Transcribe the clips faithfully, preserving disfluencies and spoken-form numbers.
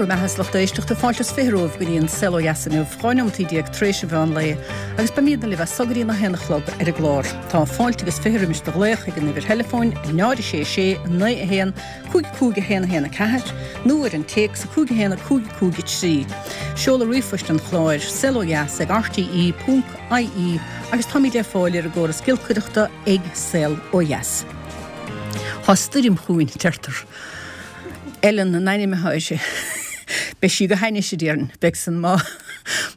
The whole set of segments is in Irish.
raibh maith agat, a lucht éisteachta. Fáilte is fiche romhaibh go dtí an Saol Ó Dheas inniu, dhá neomat déag tar éis an mheán lae, agus beimidne libh as so go dtí a haon a chlog ar an gclár. Tá fáilte agus fiche roimis do ghlaoch ag an uimhir theileafóin náid sé sé naoi a haon cúig cúig a haon a haon a ceathair nó ar an téacs a cúig a haon a cúig cúig a trí. Seoladh ríomhphoist an chláir saolodheas ag R T E ponc I E agus táimid ar fáil ar an gcóras giolcaireachta ag Saol Ó Dheas. Tá stoirm chugainn, deirtear. Ellen an ainm atá uirthi. Beidh sí go hainnis, a déarfainn, beidh san má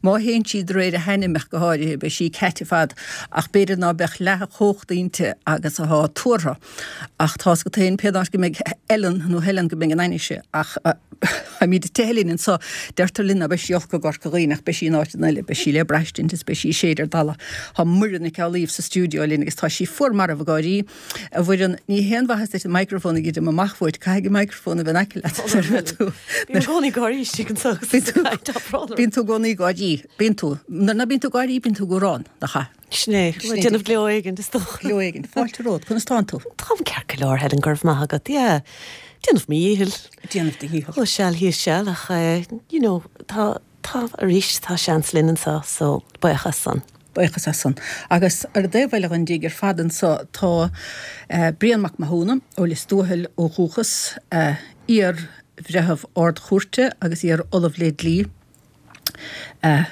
má théann sí de réir a hainm go háirithe, beidh sí ceait fad ach b'fhéidir ná beadh leath a cumhacht inti agus atá tuartha. Ach tá go tain pé go mbeidh Ellen nó Helen go mbeidh an ainnise ach táimid tehlinn anseo, deirtear linn beidh sí olc i gCorca Dhuibhne ach beidh sí in áit eile, beidh sí le braistint is beidh sí séid ar dala. Tá Muireann Nic Amhlaoibh sa stiúideo linn agus tá sí fuar marbh ag gáirí. A Mhuireann, ní haon mhaitheas duit an microphone ag druidim amach uait, caithfidh an microphone a bheith in aice leat. Bím i gcónaí ag gáirí istigh anseo. Bíonn tú i gcónaí ag gáirí, bíonn tú. Nuair ná bíonn tú ag gáirí, bíonn tú ag amhrán, nach ea? Sin é, déanamh gleo éigin is dócha. Gleo éigin, fáilte romhat, conas tánn tú? Táim ceart go leor, Helen, go raibh maith agat, yeah. Déanamh mo dhícheall. Déanamh do dhícheall. Ó seal thíos seal ach eh, you know, tá tá arís tá seans linn anseo, so buíochas san. Buíochas as san. Agus ar an dtaobh eile den dtigh ar fad anseo tá uh, Brian Mac Mathúna ó Lios Tuathail ó dhúchas, uh, iar-bhreitheamh ardchúirte agus iar-ollamh le dlí. Uh,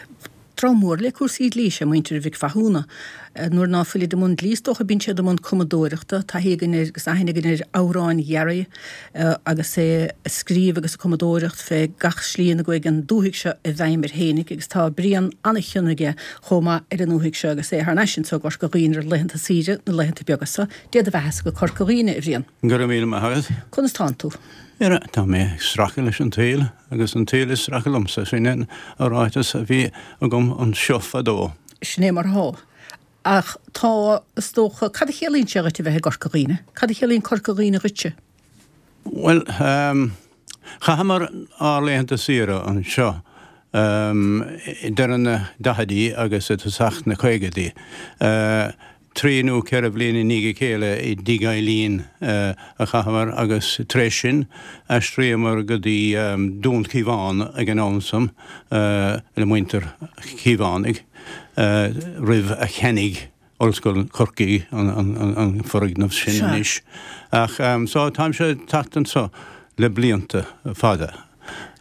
Dream mór le cúrsaí dlí sé muintir Mhic Mhathúna. Nuair ná fuilid i mbun dlí is dócha bíonn siad i mbun cumadóireachta, taithí againn air agus aithne againn ar amhráin Ghearaí agus é ag scríobh agus ag cumadóireacht fé gach slí ina gcuaigh an dúthaigh seo i bhfeidhm air fhéinig agus tá Brian an-chion aige chomh maith ar an ndúthaigh seo agus é thar n-ais anseo i gCorca Dhuibhne ar laethanta saoire na laethanta beaga seo. Dé do bheatha go Corca Dhuibhne, a Bhriain. Go raibh míle maith agat. Conas tánn tú? Ara, tá mé ag stracadh leis an tsaol agus an tsaol ag stracadh liomsa, sin an ráiteas a bhí agam anseo fadó. Sin é mar atá. Ach tá, is dócha, cad a chiallaíonn sé dhuit a bheith i gCorca Dhuibhne? Cad a chiallaíonn Corca Dhuibhne dhuitse? Well, um, chaitheamar ár laethanta saoire anseo um, deireadh na daichidí agus i dtosach na caogaidí. Uh, trí nó ceithre bliana i ndiaidh a chéile i dTigh Eileen uh, a chaitheamar agus tar éis sin aistríomar go dtí um, Dún Cíobháin ag an am san uh, le muintir Chíobhánaigh uh, roimh a cheannaigh Ollscoil Chorcaí an, an, an, an foirgneamh sin anois. Ach um, so táimse ag teacht anseo le blianta fada.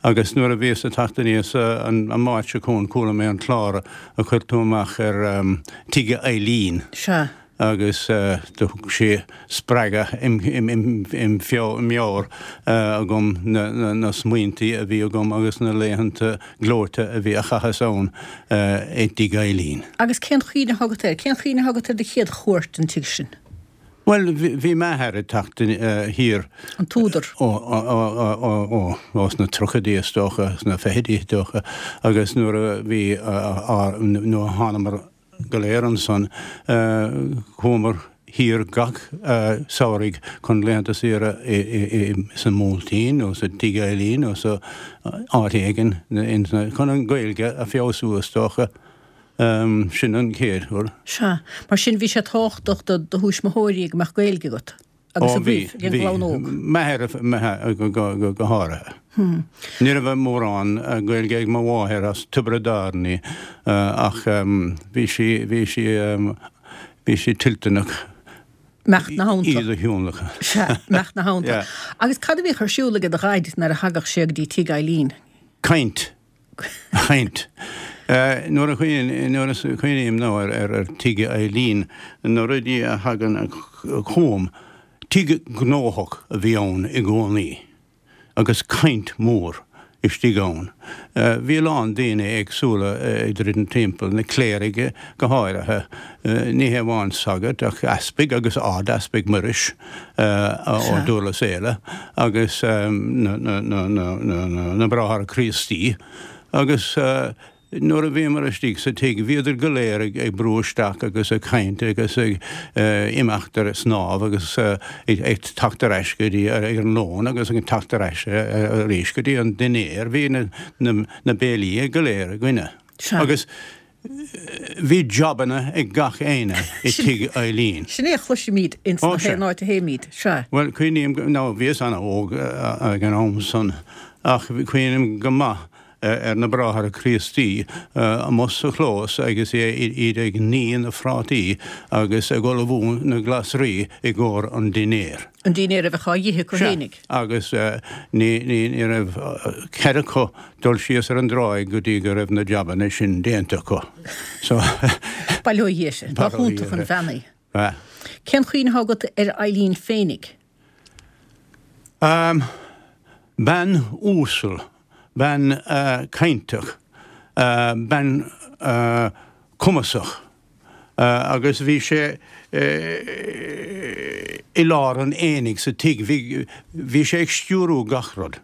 Agus nuair a bhíos ag teacht aníos an, an Máirt seo chugainn chuala mé an clár a chuir tú amach ar um, Tigh Eileen. Sea. Agus uh, do thug sé spreagadh im, im, im, im feo meabhair uh, agam na, na, na smaointí a bhí agam agus na laethanta gleoite a bhí a chaitheas ann uh, i dTigh Eileen. Agus cén chuimhne agat air, cén chuimhne agat ar do chéad chuairt an tigh sin? Well, bhí m'athair ag teacht thiar An t-údar. ó ó ó sna tríochaidí is dócha, sna fichidí is dócha, agus nuair a bhí nuair a thánamar go léir ansan chuamar thiar gach samhradh chun laethanta saoire sa mBuailtín nó sa Tigh Eileen nó sa áit éigin chun an Ghaeilge a fheabhsú is dócha. Um, sin an chéad uair. Sea, mar sin bhí sé tábhachtach do do thuismitheoirí go mbeadh Gaeilge agat. Agus a bhí ag an gclann óg. M'athair go go háirithe. Hmm. Ní raibh mórán Gaeilge ag mo mháthair as Tiobraid Árann í ach bhí sí bhí sí bhí sí toilteanach Imeacht ina theannta. Iad a thionlacan. Sea, imeacht ina theannta. Agus cad a bhíodh ar siúl ag do dhaid nuair a thagadh sé go dtí Tigh Eileen? Caint. Caint. Nuair a nuair a chuimhním nó ar ar ar Tigh Eileen na rudaí a thagann chugam, tigh gnóthach a bhí ann i gcónaí agus caint mhór istigh ann. Bhí a lán daoine éagsúla ag druidim timpeall, na cléirigh go háirithe, ní hé amháin sagairt ach easpaig agus ard-easpag Muiris ó Dhurlas Éile agus na na na na na Bráithre Críostaí agus nuair a bhíomar istigh sa tigh bhíodar go léir ag brú isteach agus ag caint agus ag imeacht ar snámh agus ag teacht ar ais go dtí ar an lón agus ag teacht ar ais arís go dtí an dinnéar bhí na na béilí go léir againne. Agus bhí jabanna ag gach éinne i Tigh Eileen. Sin é a chloisimid ins na haon áit a théimid, sea. Well cuimhním nó bhíos an-óg ag an am san Ach cuimhním go maith ar na Bráithre Críostaí amuigh sa chlós agus iad ag ní na phrátaí agus ag ullmhú na glasraí i gcomhair an dinnéir. An dinnéar a bheadh á ithe acu fhéinig. Sea, agus ní ní raibh cead acu dul síos ar an dtráigh go dtí go raibh na jabanna sin déanta acu. So. Bail ó Dhia uirthi. Ba hiontach an bhean í. Ba. Cén chuimhne atá agat ar Eileen féinig? Bean uasal, bean cainteach, bean cumasach agus bhí sé i lár an aonaigh sa tigh, bhí sé ag stiúrú gach rud.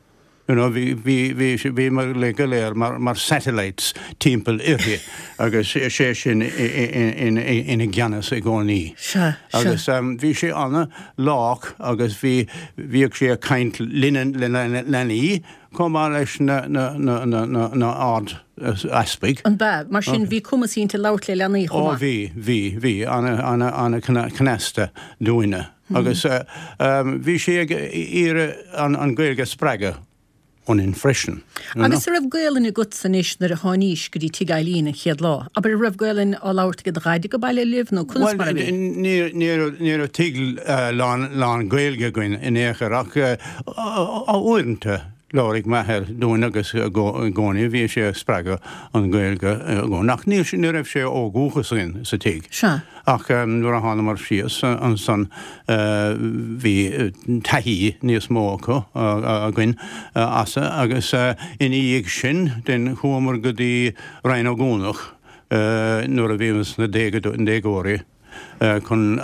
You know, bhí, bhí, bhí, bhíomar uilig go léir mar, mar satellites timpeall uirthi agus sé sin ina gceannas i gcónaí. Sea, sea. Agus bhí sé ana-lách agus bhí, bhíodh sé ag caint linne, le leanaí chomh maith leis na, na, na, na, na, na hard-easpaig. An b'ea? Mar sin bhí cumas inti labhairt le leanaí chomh Ó maith? bhí, bhí, bhí, ana, ana, ana cneasta dúinne. Agus bhí sí ag iarraidh an, an Ghaeilge a spreagadh ionainn freisin. Agus an raibh Gaelainn agatsa anois nuair a tháinís go dtí tigh Eileen an chéad lá? Abair, an raibh Gaelainn á labhairt ag do dhaid ag baile libh nó conas mar a bhí? Bhuel, ní raibh, ní raibh tigh lán, lán Gaeilge againn in aon chor ach uaireanta labhraigh m'athair dúinn agus i gcónaí bhí sé ag spreagadh an Ghaeilge i gcónaí. Ach ní, ní raibh sé ó dhúchas againn sa tigh. Sea. Ach nuair a thánamar síos ansan bhí taithí níos mó acu, againn as agus ina dhiaidh sin then chuamar go dtí Rinn Ó gCuanach nuair a bhíomar sna déagóirí chun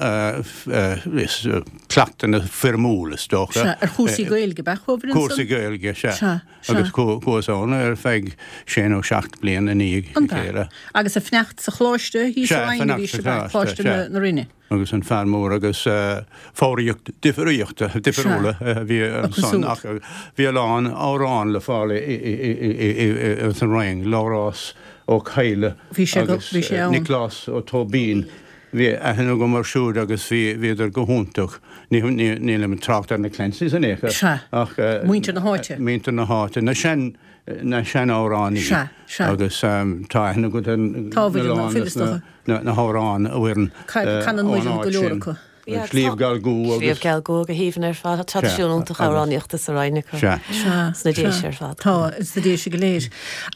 cleachtadh foirmiúil is dócha. Sea, ar chúrsaí Gaeilge ab ea chuabhair ansan? Cúrsaí Gaeilge, sea. Sea, sea. Agus chuas ann ar feadh sé nó seacht bliain i ndiaidh a An b'ea? chéile. Agus ag fanacht sa choláiste thíos Sea, sa Rinn a bhí fanacht sa sibh, choláiste, Coláiste sea. na Rinne. Agus an fear mór agus foghraíocht difríochta, difriúla a bhí Acu ansan siúd. ach bhí a lán amhrán le fáil san Rinn, Labhrás Ó Cadhla Bhí sé go, agus bhí sé ann. Nioclás Ó Tóibín. Bhí aithne agam orthu siúd agus bhí, bhíodar go hiontach. Ní, ní, nílim ag trácht ar na Clancy's in aon chor. Sea. Ach, Muintir na háite. Muintir na háite, na sean, na sean-amhránaí. Sea, sea. Agus tá aithne agat ar Tá na bhfuil lán an des na, na, na hamhráin a bhfuil Canann muid go leor acu. Sliabh Geal Dhubh agus. Sliabh Geal Dhubh go haoibhinn ar fad. Tá traidisiún iontach amhránaíochta sa Rinn acu. Sea. Sea. Sna Déise ar fad. Tá, sna Déise go léir.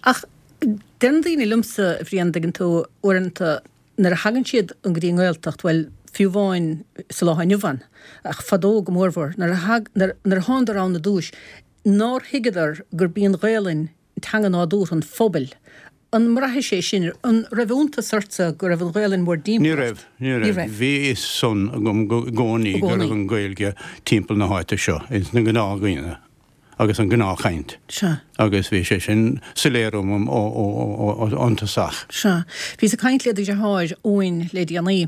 Ach deireann daoine liomsa, a Bhriain, dtuigeann tú, uaireanta, nuair a thagann siad go dtí an nGaeltacht, bhuel, fiú amháin sa lá inniu ann, ach fadó go mórmhór, nuair a thag, nuair, nuair a thánadar ann i dtús, nár thuigeadar gurb í an Ghaelainn teanga nádúrtha an phobail. An mbraitheas é sin? An raibh iontas ortsa go raibh an Ghaelainn mór Ní dtimpeall raibh, ort? ní Ní raibh. raibh. Bhí fhios san agam go, i gcónaí I go gcónaí. raibh an Ghaeilge timpeall na háite seo, ins na gnáthdhaoine agus an gnáthchaint. Sea. Agus bhí sé sin soiléir dom ó, ó, ó, ó, ón tosach. Sea. Bhíos ag caint le do dheartháir Eoin le déanaí,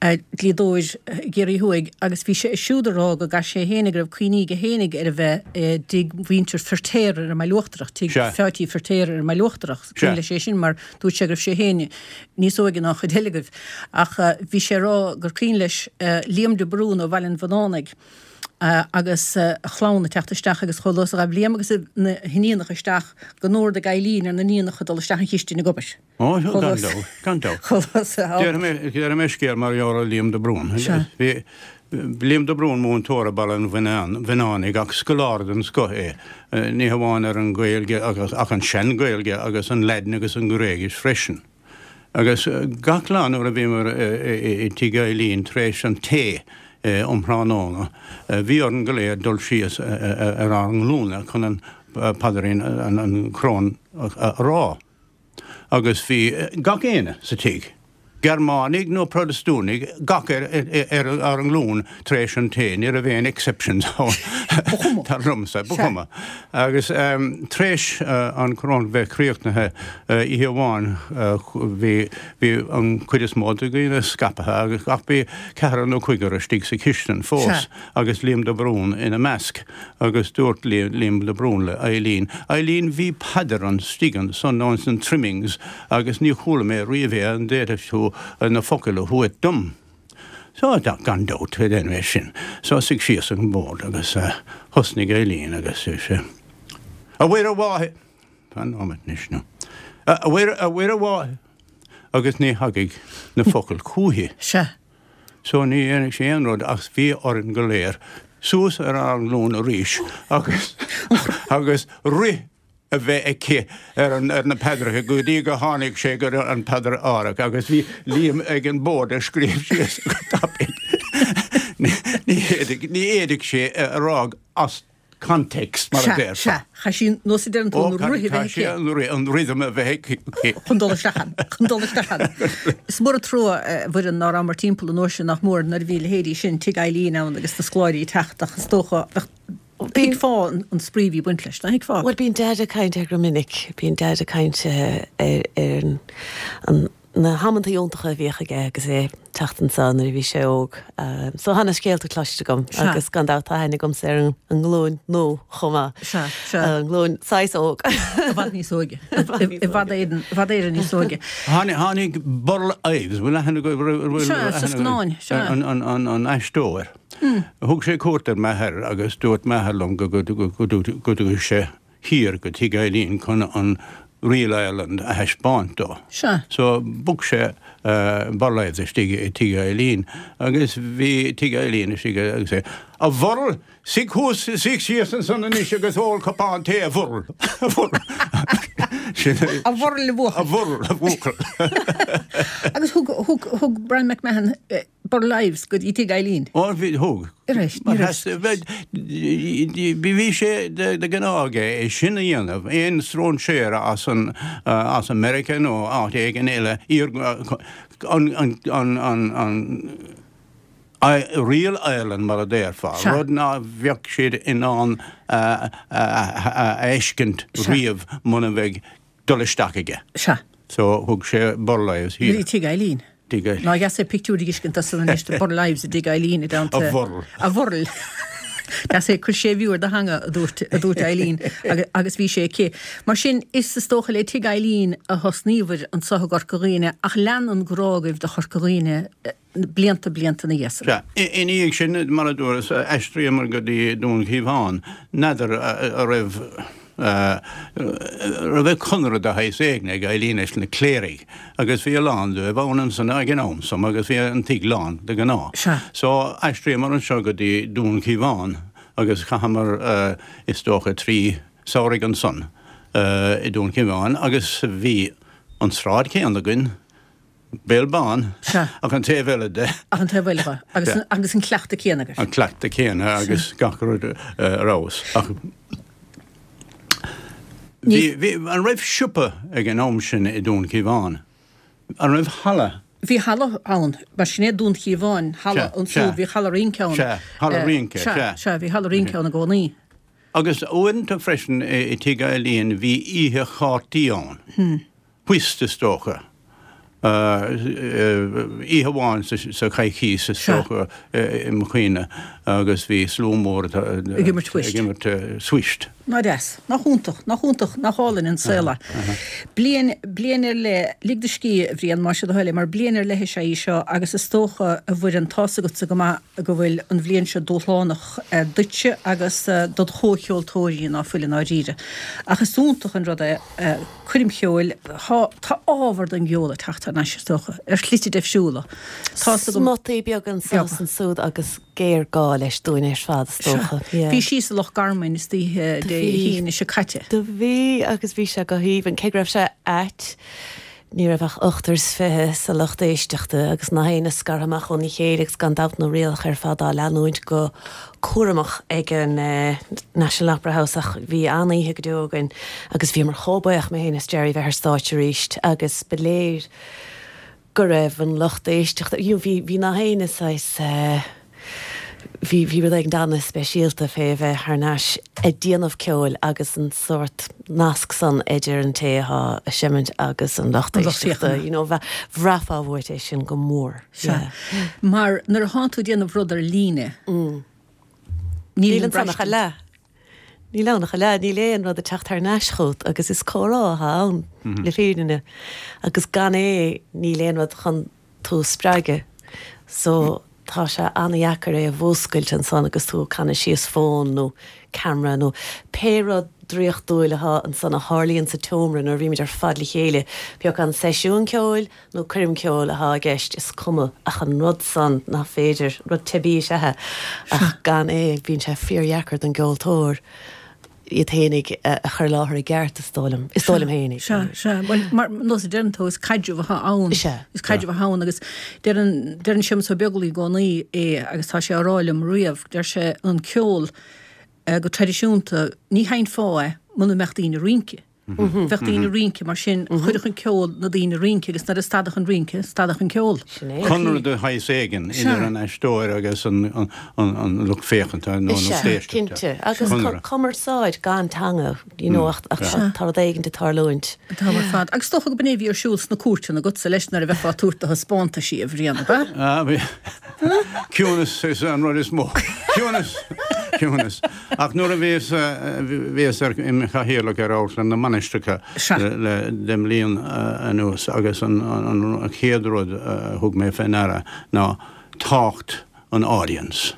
dlíodóir i gCiarraí Thuaidh, agus bhí sé siúd ag rá go gcaithfidh sé fhéinig, go raibh cuimhní aige fhéinig ar a bheith i dtigh mhuintir Feirtéar ar an mBaile Uachtarach, tigh Sea. Pheáití Feirtéar ar an mBaile Uachtarach. Sea. Cuimhin leis é sin mar dúirt sé go raibh sé féin níos óige ná an chuid eile agaibh. Ach bhí sé ag rá gur cuimhin leis Liam de Brún ó Bhaile an Bhunánaigh, agus a chlann ag teacht isteach agus chomh luath is a ghabh Liam agus na hiníonacha isteach go n-ordaigh Eileen ar na níonacha dul isteach an chistin ag obair. Ó, gan dabht, gan dabht. Chomh luath is a Déarfaidh mé, déarfaidh mé scéal mar gheall ar Liam de Brún. Sea. Bhí Liam de Brún múinteoir i Baile an Bhunánaigh ach scoláire den scoth é. Ní hamháin ar an Ghaeilge agus ach an sean-Ghaeilge agus an Laidin agus an Ghréigis freisin. Agus gach lá nuair a bhíomar i dtigh Eileen tar éis an tae um thráthnóna, bhí orainn go léir dul síos ar ár nglúine chun an paidrín, an Coróin a rá. Agus bhí gach éinne sa tigh, Gearmánaigh nó Protastúnaigh, gach ar ar ár nglúin tar éis an tae, ní raibh aon exceptions ann. Ba chuma. Dar liomsa, ba chuma. Agus tar éis an Coróin bheith críochnaithe oíche amháin bhí bhí an chuid is mó de dhaoine scaipthe agus ach bhí ceathrar nó cúigear istigh sa chistin fós Sea. agus Liam de Brún ina measc agus dúirt Liam de Brún le Eileen, Eileen bhí paidir istigh ansan nó ins na trimmings agus ní chuala mé riamh é an bhféadfadh tú na focail a thabhairt dom. So gan dabht déan é sin. So suigh síos ag an bord agus thosnaigh Eileen agus sé. A Mhuire Mháthair Fan nóiméad anois nó. A Mhuire a Mhuire Mháthair agus ní thagadh na focail chúithi. Sea. So ní dhéanfadh sé aon rud ach bhí orainn go léir suas ar ár nglúin arís agus agus rith a bheith aici ar an ar na paidreacha go dtí go tháinig sé go an paidir áirithe agus bhí Liam ag an bord ag scríobh síos go tapaidh. Ní fhéadfadh ní fhéadfadh sé a rá as context mar a Sea, déarfá. sea. Chaith sí nós a deireann tú Ó, an rith a bheith chaith sé aici. an rith an rhythm a bheith aici. Chun dul isteach ann, chun dul isteach ann. Is mór an trua a Mhuireann ná rabhamar timpeall an uair sin nach mór nuair a bhí leithéidí sin Tigh Eileen ann agus na scoláirí ag teacht ach is dócha bheadh thuigfeá an an spraoi a bhí ag baint leis, nach thuigfeá? Bhuel bíonn Dad ag caint air go minic, bíonn Dad ag caint ar ar an an na hamanta iontacha a bhíodh aige agus é ag teacht anseo nuair a bhí sé óg. So tá na scéalta cloiste agam agus gan dabht tá aithne agamsa ar an an nglúin nua chomh maith. Sea, sea. An nglúin saghas óg. I bhfad níos óige. I bhfad Éireann, i bhfad Éireann níos óige. Tháinig tháinig Burl Ives, bhfuil aithne agaibh bhfuil Sea, sa aithne scannáin, sea. an an an an aisteoir. Thug sé cuairt ar m'athair agus dúirt m'athair liom go go go go go dtugadh sé thiar go Tigh Eileen chun an Reel Ireland a thaispeáint dó. Sea. So bhuail sé uh, Burl Ives istigh i Tigh Eileen agus bhí Tigh Eileen istigh agus é A Bhurl, suigh thuas suigh síos ansan anois agus ól cupán tae a Bhurl. A Bhurl. Sin é- A Bhurl a bhuachaill. A Bhurl a bhuachaill. Agus thug thug thug Brian McMahon eh, Burl Ives go dtí Tigh Eileen. Ó bhí thug. Arís, ní Mar raibh. has- bheith- Bhí sé de de ghnáth é sin a dhéanamh, aon stróinséara as an uh, as America nó áit éigin eile iar an an an an an I, Reel Ireland mar a déarfá, Sea. rud ná bheadh siad in ann uh, a fheiscint riamh muna bheadh dul isteach aige. Sea. So thug sé Burl Ives Bhí thiar. Tigh Eileen. Tigh Eileen. Ná dheas é pictiúr a fheiscint as san anois de Burl Ives i dTigh Eileen i dteannta. A Bhurl. A Bhurl. Deas é cuir séimhiú ar do theanga a dúirt a dúirt Eileen agus, agus bhí sé aici. Mar sin is is dócha le Tigh Eileen a thosnaíobhair anseo i gCorca Dhuibhne ach lean an grá agaibh do Chorca Dhuibhne eh, blianta blianta ina dhiaidh sin. Sea, ina dhiaidh sin mar a dúras aistríomar go dtí Dún Chíomháin, n'fheadar a raibh raibh conradh de shaghas éigin ag Eileen leis na cléirigh, agus bhí a lán dóibh ann ansan ag an am san agus bhí an tigh lán de ghnáth. Sea. So aistríomar anseo go dtí Dún Chíomháin agus chaitheamar uh, is dócha trí samhradh ansan uh, i Dún Chíomháin agus bhí an sráid céanna againn, Béal Bán Sea. ach an taobh eile de. Ach an taobh eile agus Sea. agus an cleachtadh céanna agaibh. an cleachtadh céanna agus gach rud uh, arís. Ach bhí, bhí, an raibh siopa ag an am sin i Dún Cíomháin. An raibh halla Bhí halla ann, mar sin é Dún Chíomháin, halla Sea, an sea. sú, bhí halla rince ann. Sea, halla Eh, rince, Sea, sea. sea, bhí halla rince ann i gcónaí. Agus uaireanta freisin i i Tigh Eileen bhí oíche chártaí ann. Hmm. Whist is dócha. Oíche amháin sa sa choicís is Sea. dócha i mo chuimhne agus bhí slua mór Ag imirt whist. ag imirt uh, whist. Ná deas, nach iontach, nach iontach, nach álainn an saol é. Bliain bliain ar leith lig do scíth a Bhriain más do thoil é, mar bliain ar leith sé í seo agus is dócha a Mhuireann tá a fhios agatsa go maith go bhfuil an bhliain seo dúshlánach eh, duitse agus eh, dod chomhcheoltóirí ná fuil i ndáiríre. Ach is iontach an rud é eh, coirm cheoil tá tá ábhar den gceol ag teacht thar n-ais is dócha ar shlite difriúla. Tá agam Smuttaí beag anso is ansúd agus géarghá leis dúinn ar fad is dócha. Bhí sí sa Loch Garman is dí Do de bhí. hAoine seo caite. Do bhí agus bhí sé go haoibhinn cé go raibh sé ait ní raibh ach ochtar is fiche sa lucht éisteachta agus gach éinne scartha amach óna chéile agus gan dabht na rialacha ar fad á leanúint go cúramach ag an eh, National Opera House ach bhí an-oíche go deo againn agus bhí mar chóbaoch mé féin is Jerry bheith ar stáitse arís agus ba léir go raibh an lucht éisteachta you know, bhí bhí gach éinne saghas eh, bhí bhí rud éigin an-speisialta fé bheith thar n-ais ag déanamh ceoil agus an sórt nasc san idir an té atá ag seimint agus an lucht An lucht éisteachta, féachana. you know, bhe- bhraithfeá uait é sin go mór. Sea. Mar nuair atá tú ag déanamh rud ar líne. Níl Níl an an sanach a braistint. le. Níl ann ach a leath, níl aon rud ag teacht thar n-ais chugat agus is comhrá atá ann le fírinne agus gan é níl aon rud chun tú spreagadh. So tá sé an-dheacair é a mhúscailt ansan agus tú ag canadh síos fón nó ceamara nó pé rud draíochtúil atá ansan a tharlaíonn sa tseomra nuair a bhímid ar fad le chéile, bíodh an seisiún ceoil nó coirm ceoil atá i gceist, is cuma ach an rud san nach féidir, rud teibí is ea é ach gan é bíonn sé fíordheacair don gceoltóir iad féinig a chur i láthair i gceart, is dóigh liom, is dóigh liom féinig. Sea, sea. Bhuel, mar nós a deireann tú, is caidreamh atá ann. Sea. Is caidreamh atá ann agus deireann, deireann Séamus Ó Beaglaoi i gcónaí é agus tá sé á rá liom riamh, deir sé an ceol go traidisiúnta, ní sheinnfeá é muna mbeadh daoine ag rince. Bheadh daoine ag rince, mar sin chuirfeadh an ceol na daoine ag rince agus nuair a stadfadh an rince, stadfadh an ceol. Sin é. Conradh de shaghas éigin idir an aisteoir agus an lucht féachanta nó an lucht éisteachta. Cinnte. Agus cumarsáid gan teanga, you know, ach tá rud éigin ag tarlúint. Tá ar fad. Agus is dócha go b'in é a bhí ar siúl sna cúirteanna agatsa leis nuair a bheifeá ag tabhairt do thaispeántaisí, a Bhriain, ab ea? Ah, bhí. Ciúnas is an rud is mó. Ciúnas! Ciúnas. Ach nuair a bhíos, bhíos ar, im chathaoirleach ar Amharclann na Mainistreacha le deich mbliana anuas agus an, an, an chéad rud a thug mé fé ndeara ná tábhacht an audience.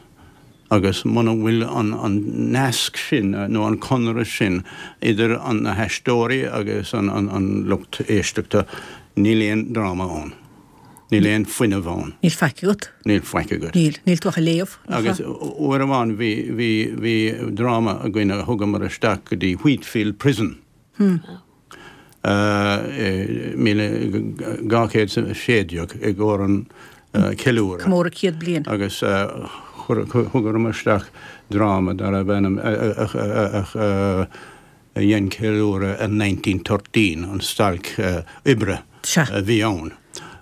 Agus muna bhfuil an, an nasc sin nó an conradh sin idir an, na haisteoirí agus an, an, an lucht éisteachta, níl aon dráma ann. Níl aon fuinneamh ann. Níl faic agat. Níl faic agat. Níl. Níl tú ach ag léamh. Agus uair amháin bhí, bhí, bhí dráma againn a thugamar isteach go dtí Wheatfield Prison. Hmm. Míle dhá chéad is a sé déag i gcomhair an ceiliúradh. Comóradh céad bliain. Agus thugamar isteach dráma darbh ainm a dhein ceiliúradh ar nineteen thirteen, an stailc oibre a bhí ann.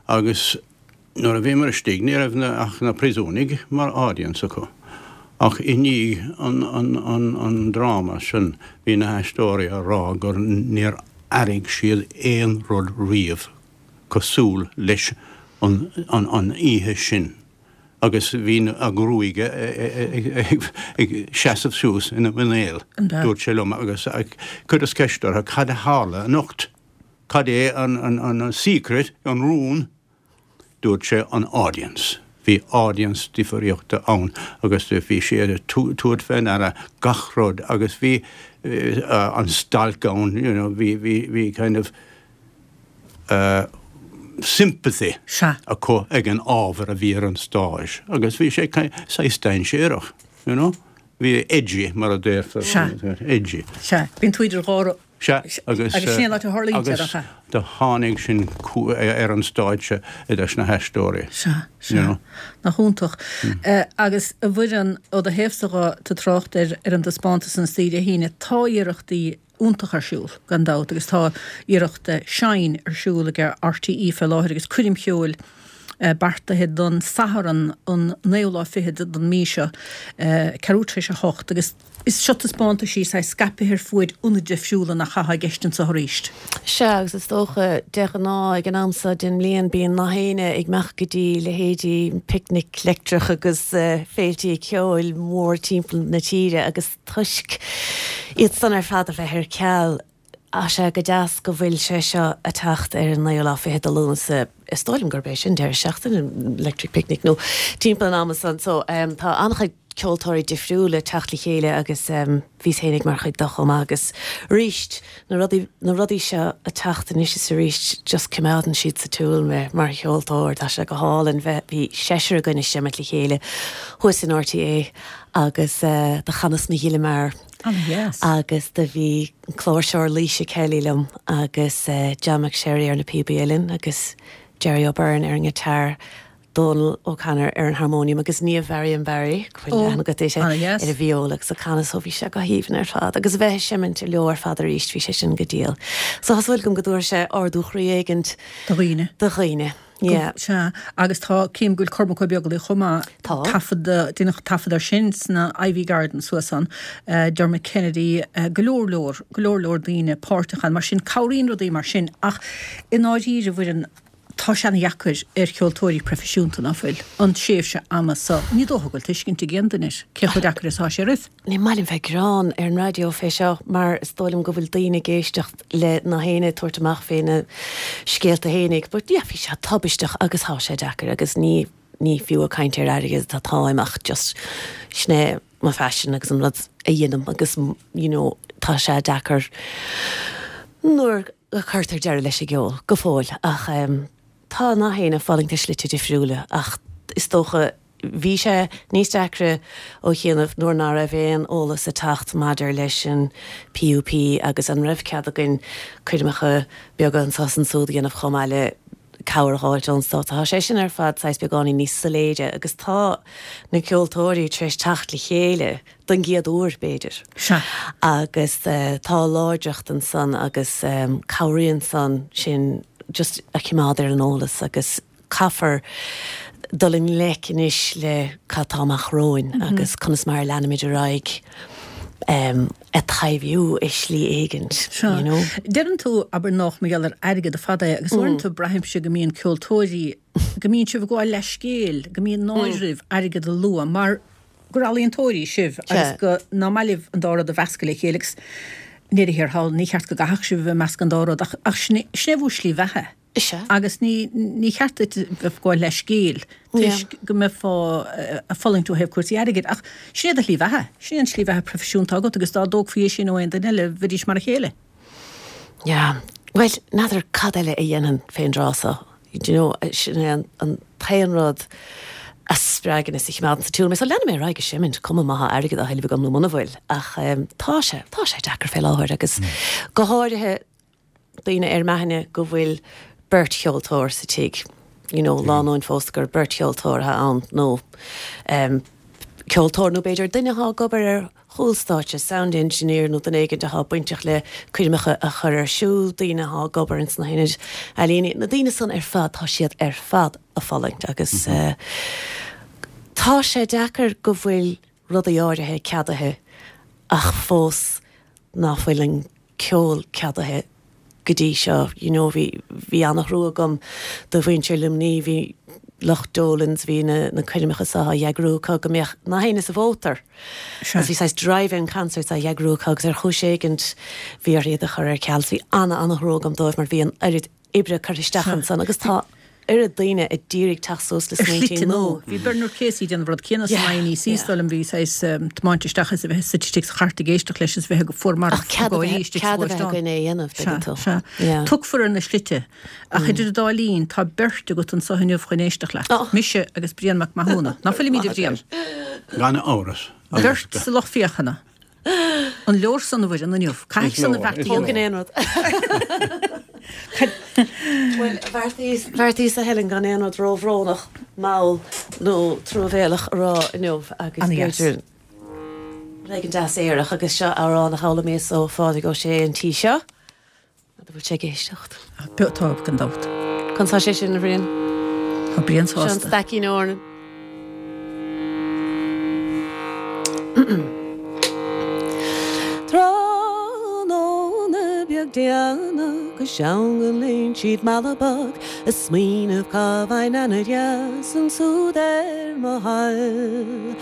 Agus nuair a bhíomar istigh, ní raibh ach na príosúnaigh mar audience acu. Ach i ndiaidh an, an, an, an dráma sin, bhí na haisteoirí á rá gur níor airigh siad aon rud riamh cosúil leis an, an, an oíche sin. Agus bhí a ngruaig ag seasamh suas ina muinéal, dúirt sé liom, agus chuireas ceist orthu cad a tharla anocht. Cad é an secret, an rún? Dúirt sé an audience. Bhí audience difríochta ann agus bhí siad ag tabhairt fé ndeara gach rud agus bhí an stailc ann, you know, bhí, bhí, bhí kind of sympathy acu ag an ábhar a bhí ar an stáitse agus bhí sé saghas dainséarach, you know. Bhí edgy, mar a déarfar. Edgy. Sea. Bíonn tú idir dhá Sea, agus Agus sin an áit a tharlaíonn sé, nach ea? Do tháinig sin ar an stáitse idir na haisteoirí. Sea, sea. Nach iontach. Agus a Mhuireann, ó do thaobhsa dhe, tú ag trácht ar ar an dtaispeántas istoíche Dé hAoine, tá iarrachtaí iontacha ar siúl, gan dabht, agus tá iarracht Shine ar siúl ag RTÉ fé láthair agus coirm cheoil beartaithe don Satharn an naoú lá fichead den mí seo, ceathrú tar éis a hocht, agus is seo taispeántaisí saghas scaipthe ar fuaid ionaid difriúla nach ea atá i gceist anseo arís. Sea, agus is dócha, de ghnáth ag an am seo den mbliain bíonn nach éinne ag imeacht go dtí leithéidí Picnic Leictreach agus féiltí ceoil mór timpeall na tíre agus toisc iad san ar fad a bheith ar ceal, Tá sé go deas go bhfuil sé seo a' teacht ar an naoú lá fichead de Lúnasa, is dóigh liom gurb é sin deireadh seachtaine an Electric Picnic nó timpeall an ama san. So tá an-chuid ceoltóirí difriúla ag teacht le chéile agus bhíos fhéinig mar chuid de chomh maith agus arís na rudaí, na rudaí seo a' teacht anois is arís just coimeádann siad sa tsiúl mé mar cheoltóir, tá sé go hálainn bheith, bhí seisear againn ag seimint le chéile thuas in RTÉ agus do chanas Mo Ghile Mear. An-dheas. Agus do bhí an cláirseoir Laoise Kelly liom agus John McSherry ar na píobaí uilleann agus Jerry O'Byrne ar an ngiotár, Dónal O'Connor ar an harmónium agus Niamh Varian Barry, go bhfuil aithne agat uirthi, ar an vióla agus do chanas so bhí sé go haoibhinn ar fad agus a bheith ag seimint leo ar fad arís bhí sé sin go diail. So tá súil agam go dtabharfaidh sé ardú chroí éigint Do dhaoine. Do dhaoine. Yeah. Sea, agus tá, cím go bhfuil Cormac Ó Beaglaoich chomh maith, Tá. taifead, deineadh taifead air sin sna Iveagh Gardens thuas ann, Dermot Kennedy, go leor leor, go leor leor daoine páirteach ann, mar sin cabhraíonn rudaí mar sin ach i ndáiríre, a Mhuireann, tá sé ana-dheacair ar cheoltóirí proifisiúnta, ná fuil, an tréimhse ama so, ní dócha go bhfuil tuiscint ag aon duine air cé chomh deacair is atá sé oraibh. Ní maith liom bheith ag gearán ar an raidió fé seo mar is dóigh liom go bhfuil daoine ag éisteacht le nach éinne ag tabhairt amach fé na scéalta fhéinig but yeah bhí sé tubaisteach agus thá sé deacair agus ní ní fiú ag caint ar airgead atáim ach just sin é mo phaisean agus an rud a dhéanaim agus you know, tá sé deacair nuair a chuirtear deireadh leis an gceol go fóill ach um, tá na héinne ag fulaingt i slite difriúla ach is dócha bhí sé níos deacra ó chianaibh nuair ná raibh aon eolas ag teacht maidir leis an PUP agus an raibh cead againn coirmeacha beaga anseo is ansúd a dhéanamh chomh maith le cabhair a fháilt ón stát. Tá sé sin ar fad saghas beagáinín níos soiléire agus tá na ceoltóirí tar éis teacht le chéile don gcéad uair b'fhéidir. Sea. Agus uh, tá láidreacht ansan agus um, cabhraíonn san sin just a choimeád ar an eolas agus caithfear dul i ngleic anois le cad tá amach romhainn mm -hmm. agus conas mar leanfaimid ar aghaidh um, ag taibhiú i slí éigint. You know? Deireann tú abair nach mar gheall ar airgead ar fad é agus uaireanta mm. braithimse go mbíonn ceoltóirí go mbíonn sibh ag gabháil leithscéil, go mbíonn náire oraibh airgead a lua mar gur ealaíontóirí sibh agus go nach maith libh an dá rud a mheascadh le chéile agus i ndeireadh thiar thall ní cheart go gcaithfeadh sibh a meascadh an dá rud ach ach sin é bhur slí bheatha. Is ea. Agus ní ní cheart duit bheith ag gabháil leithscéil toisc go mbeifeá ag fulaingt ó thaobh cúrsaí airgid ach sin é do shlí bheatha, sin é an slí bheatha proifisiúnta agat agus dá dtógfaí é sin ó aon duine eile bheidís mar a chéile. Yeah. Well, n'fheadar cad eile a dhéanfainn fén dtráth seo. Do you know, sin é an, an t-aon rud a spreagann is a choimeádann sa tsiúl mé. So leanfaidh mé ar aghaidh ag seimint, cuma má tá airgead á thuilleamh agam nó muna bhfuil. Ach um, tá sé, tá sé deacair fé láthair agus go háirithe daoine ar m'aithne go bhfuil beirt cheoltóir sa tigh. You know, lánúin phósta gur beirt cheoltóir atá ann nó um, ceoltóir nó b'fhéidir duine atá ag obair ar chúl stáitse, sound engineer nó duine éigin atá bainteach le coirmeacha a chur ar siúl, daoine atá ag obair ins na hionaid ealaíne. Na daoine san ar fad tá siad ar fad ag fulaingt agus mm -hmm. uh, tá sé deacair go bhfuil rudaí áirithe ceadaithe ach fós ná fuil an ceol ceadaithe go dtí seo you know, bhí bhí an-thrua agam do mhuintir Luimnigh bhí lucht Dolans bhí na, na coirmeacha seo á eagrú acu go mbeadh na héinne sa mhótar. Agus bhí saghas drive-in concerts á eagrú acu agus ar chúis éigint bhí orthu iad a chur ar ceal bhí ana an-thrua agam dóibh mar bhí an oiread oibre curtha isteach ansan agus tá oiread daoine a d'iarraidh teacht suas le smaointe nua. Bhí Bernard Casey déanamh rud céanna san INEC is dóigh liom bhí saghas tiomáint isteach is a bheith suite istigh sa chairt ag éisteacht leis is a bheith go fuar marbh Ach cead a bheith cead a bheith againn é a dhéanamh, tuigeann tú. Sea, sea. Tugfar ar na slite. Ach idir an dá linn tá beirt agat anseo inniu chun éisteacht leat. Mise agus Brian Mac Mathúna. Ná fuilimid a Bhriain? Gan amhras. Beirt sa lucht féachana. An leor san a Mhuireann inniu? Caithfidh san a bheart a dhéanamh. Tógann aon rud. Bhuel, bheartaíos, bheartaíos a Helen gan aon rud róbhrónach, mall nó truamhéalach a rá inniu agus Ana-dheas. b'fhéidir rud éigin deas aerach agus seo amhrán a d'fhoghlaimíos ó Phádraig Ó Sé an tí seo. An bhfuil sé ag éisteacht. Beo tá gan dabht. Conas tá sé sin, a Bhriain? Tá Brian Seo an sásta. Staicín Eornan. Tráthnóna beag déanach go seangan léim siad mala bog ag smaoineamh cá bhfaighinn aithne dheas ansúd ar mo thoil.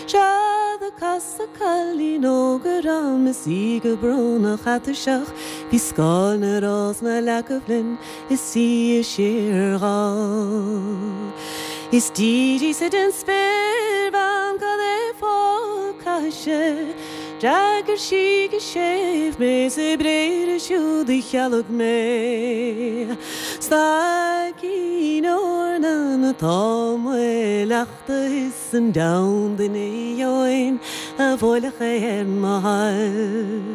Sea do casadh cailín óg orm is í go brónach atuirseach, bhí scáil na rósanna leagtha linn is í ag síorghol. Is d'fhiafraíos-sa den spéirbhean cad é fáth a caithis. D'fhreagair sí go séimh mé 's a bréithre siúd a chealg mé. Staicín eornan atá mo leachta is an deamhan duine dheoin a bhuailfeadh é ar mo thoil.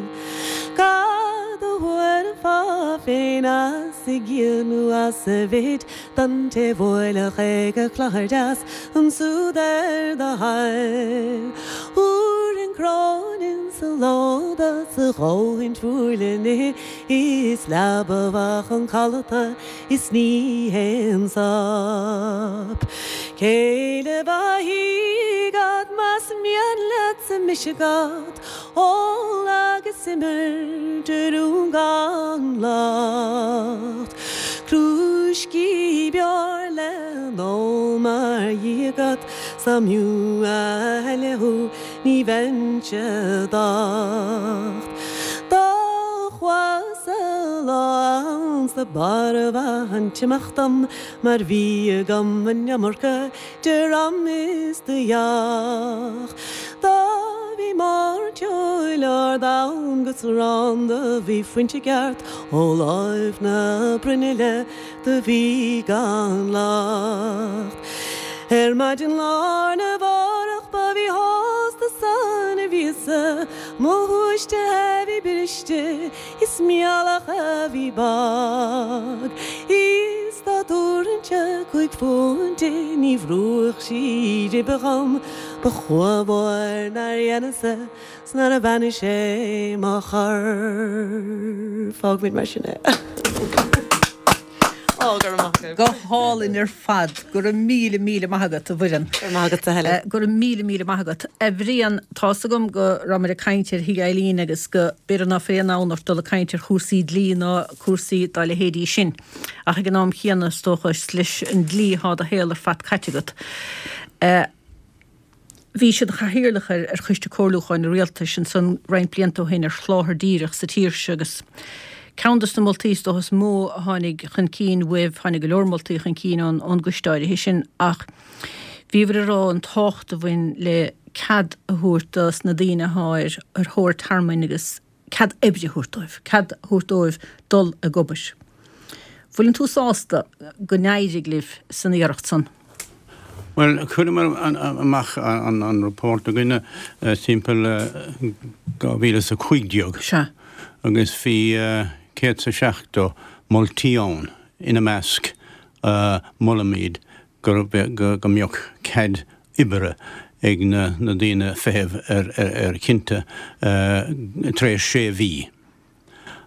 Cad a thabharfá féin as a gciall nó as a mhéid don té bhuailfeadh é go cladhaire deas ansúd ar do thoil. Thabharfainn cráin sa lóda sa dhóthain fuar le n-ithe is leaba mhaith chun codlata is ní haon sop. Céile mhaith agat más mian leatsa mise agat, ól agus imir de rún gan locht. Crúiscí beár le n-ól mar dhia agat, 's dá mb'fhiú a thuilleadh thú ní bheinnse docht. Do chuas-sa lá ann 's do b'fharbha an t-imeacht dom mar bhí agam an iomarca de ram is de dheoch. Do bhí mairteoil ard ann 'gus arán do bhí fuinte i gceart ó láimh na bruinnille do bhí gan locht. Ar maidin lá arna mhárach ba mhíshásta san a bhíos-sa, mo shúiste a bhí briste is m'ualach a bhí bog. Is dá dtabharfainnse cúig phunt di ní bhrúfadh sí ribe dhom, ba chumha mhór nár dheineas-sa 's nár bheannaigh sé mo chorp. Fágfaimid mar sin é. Ó, go raibh maith agat. Go hálainn ar fad. Go raibh míle míle maith agat, a Mhuireann. Go raibh maith agat, a Helen. Go raibh míle míle maith agat. A Bhriain, tá's agam go rabhamar ag caint ar Thigh Eileen agus go b'fhéidir ná fuil aon fhonn ort dul ag caint ar chúrsaí dlí ná cúrsaí dá leithéidí sin. Ach ag an am chéanna, is dócha, is leis an dlí atá do shaol ar fad caite agat. Bhí sé ina chathaoirleach ar ar Choiste Comhairliúcháin an Rialtais ansan roinnt blianta ó shin ar sholáthar díreach sa tír seo agus ceann dos na moltaí is dócha is mó a tháinig chun cinn uaibh, tháinig go leor moltaí chun cinn ón ón gcoiste áirithe sin ach bhíobhair ag rá an tábhacht a bhain le cead a thabhairt dos na daoine atá ar ar thóir tearmainn agus cead oibre a thabhairt dóibh, cead a thabhairt dóibh dul ag obair. Bhfuileann tú sásta go n-éirigh libh san iarracht san? Bhuel, chuireamar amach an report againne timpeall dhá mhíle is a cúig déag. Sea. Agus bhí céad is a seachtó moltaí ann, ina measc molaimid go go mbeadh cead oibre ag na daoine feitheamh ar chinnte tar éis sé mhí.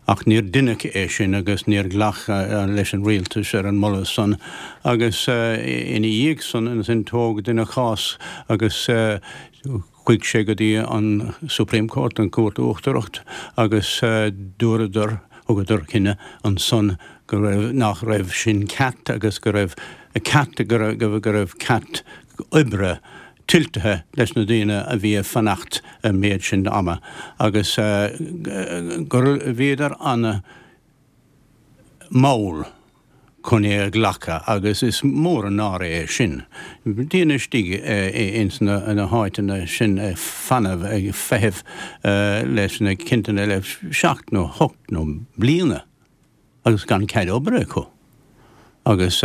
Ach níor deineadh é sin agus níor ghlac leis an rialtas ar an moladh san agus ina dhiaidh san ansin tóg duine cás agus chuaigh sé go dtí an Supreme Court, an Cúirt Uachtarach, agus dúradar, thugadar cinneadh ansan go raibh, nach raibh sin ceart agus go raibh ceart, go raibh ceart oibre tuilltithe leis na daoine a bhí ag fanacht an méid sin ama agus gur bhíodar ana mhall chun é a ghlacadh agus is mór an náire é sin. Daoine istigh ins na háiteanna sin ag fanamh ag feitheamh leis na cinntí le seacht nó hocht nó bliana agus gan cead oibre acu. Agus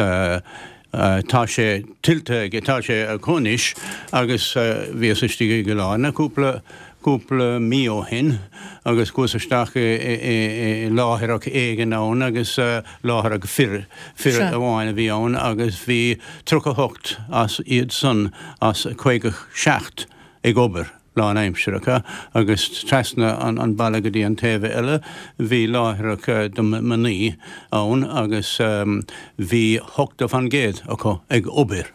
tá sé tuillte aige, tá sé acu anois agus bhíos istigh i gCill Airne cúpla, cúpla mí ó shin agus chuas isteach i láithreach éigin ann agus láithreach fir, fir amháin a bhí ann agus bhí tríocha hocht as iad san as caoga seacht ag obair. lánaimseartha agus trasna an baile go dtí an taobh eile bhí láithreach do mnaoi ann agus bhí ochtó fan gcéad acu ag obair.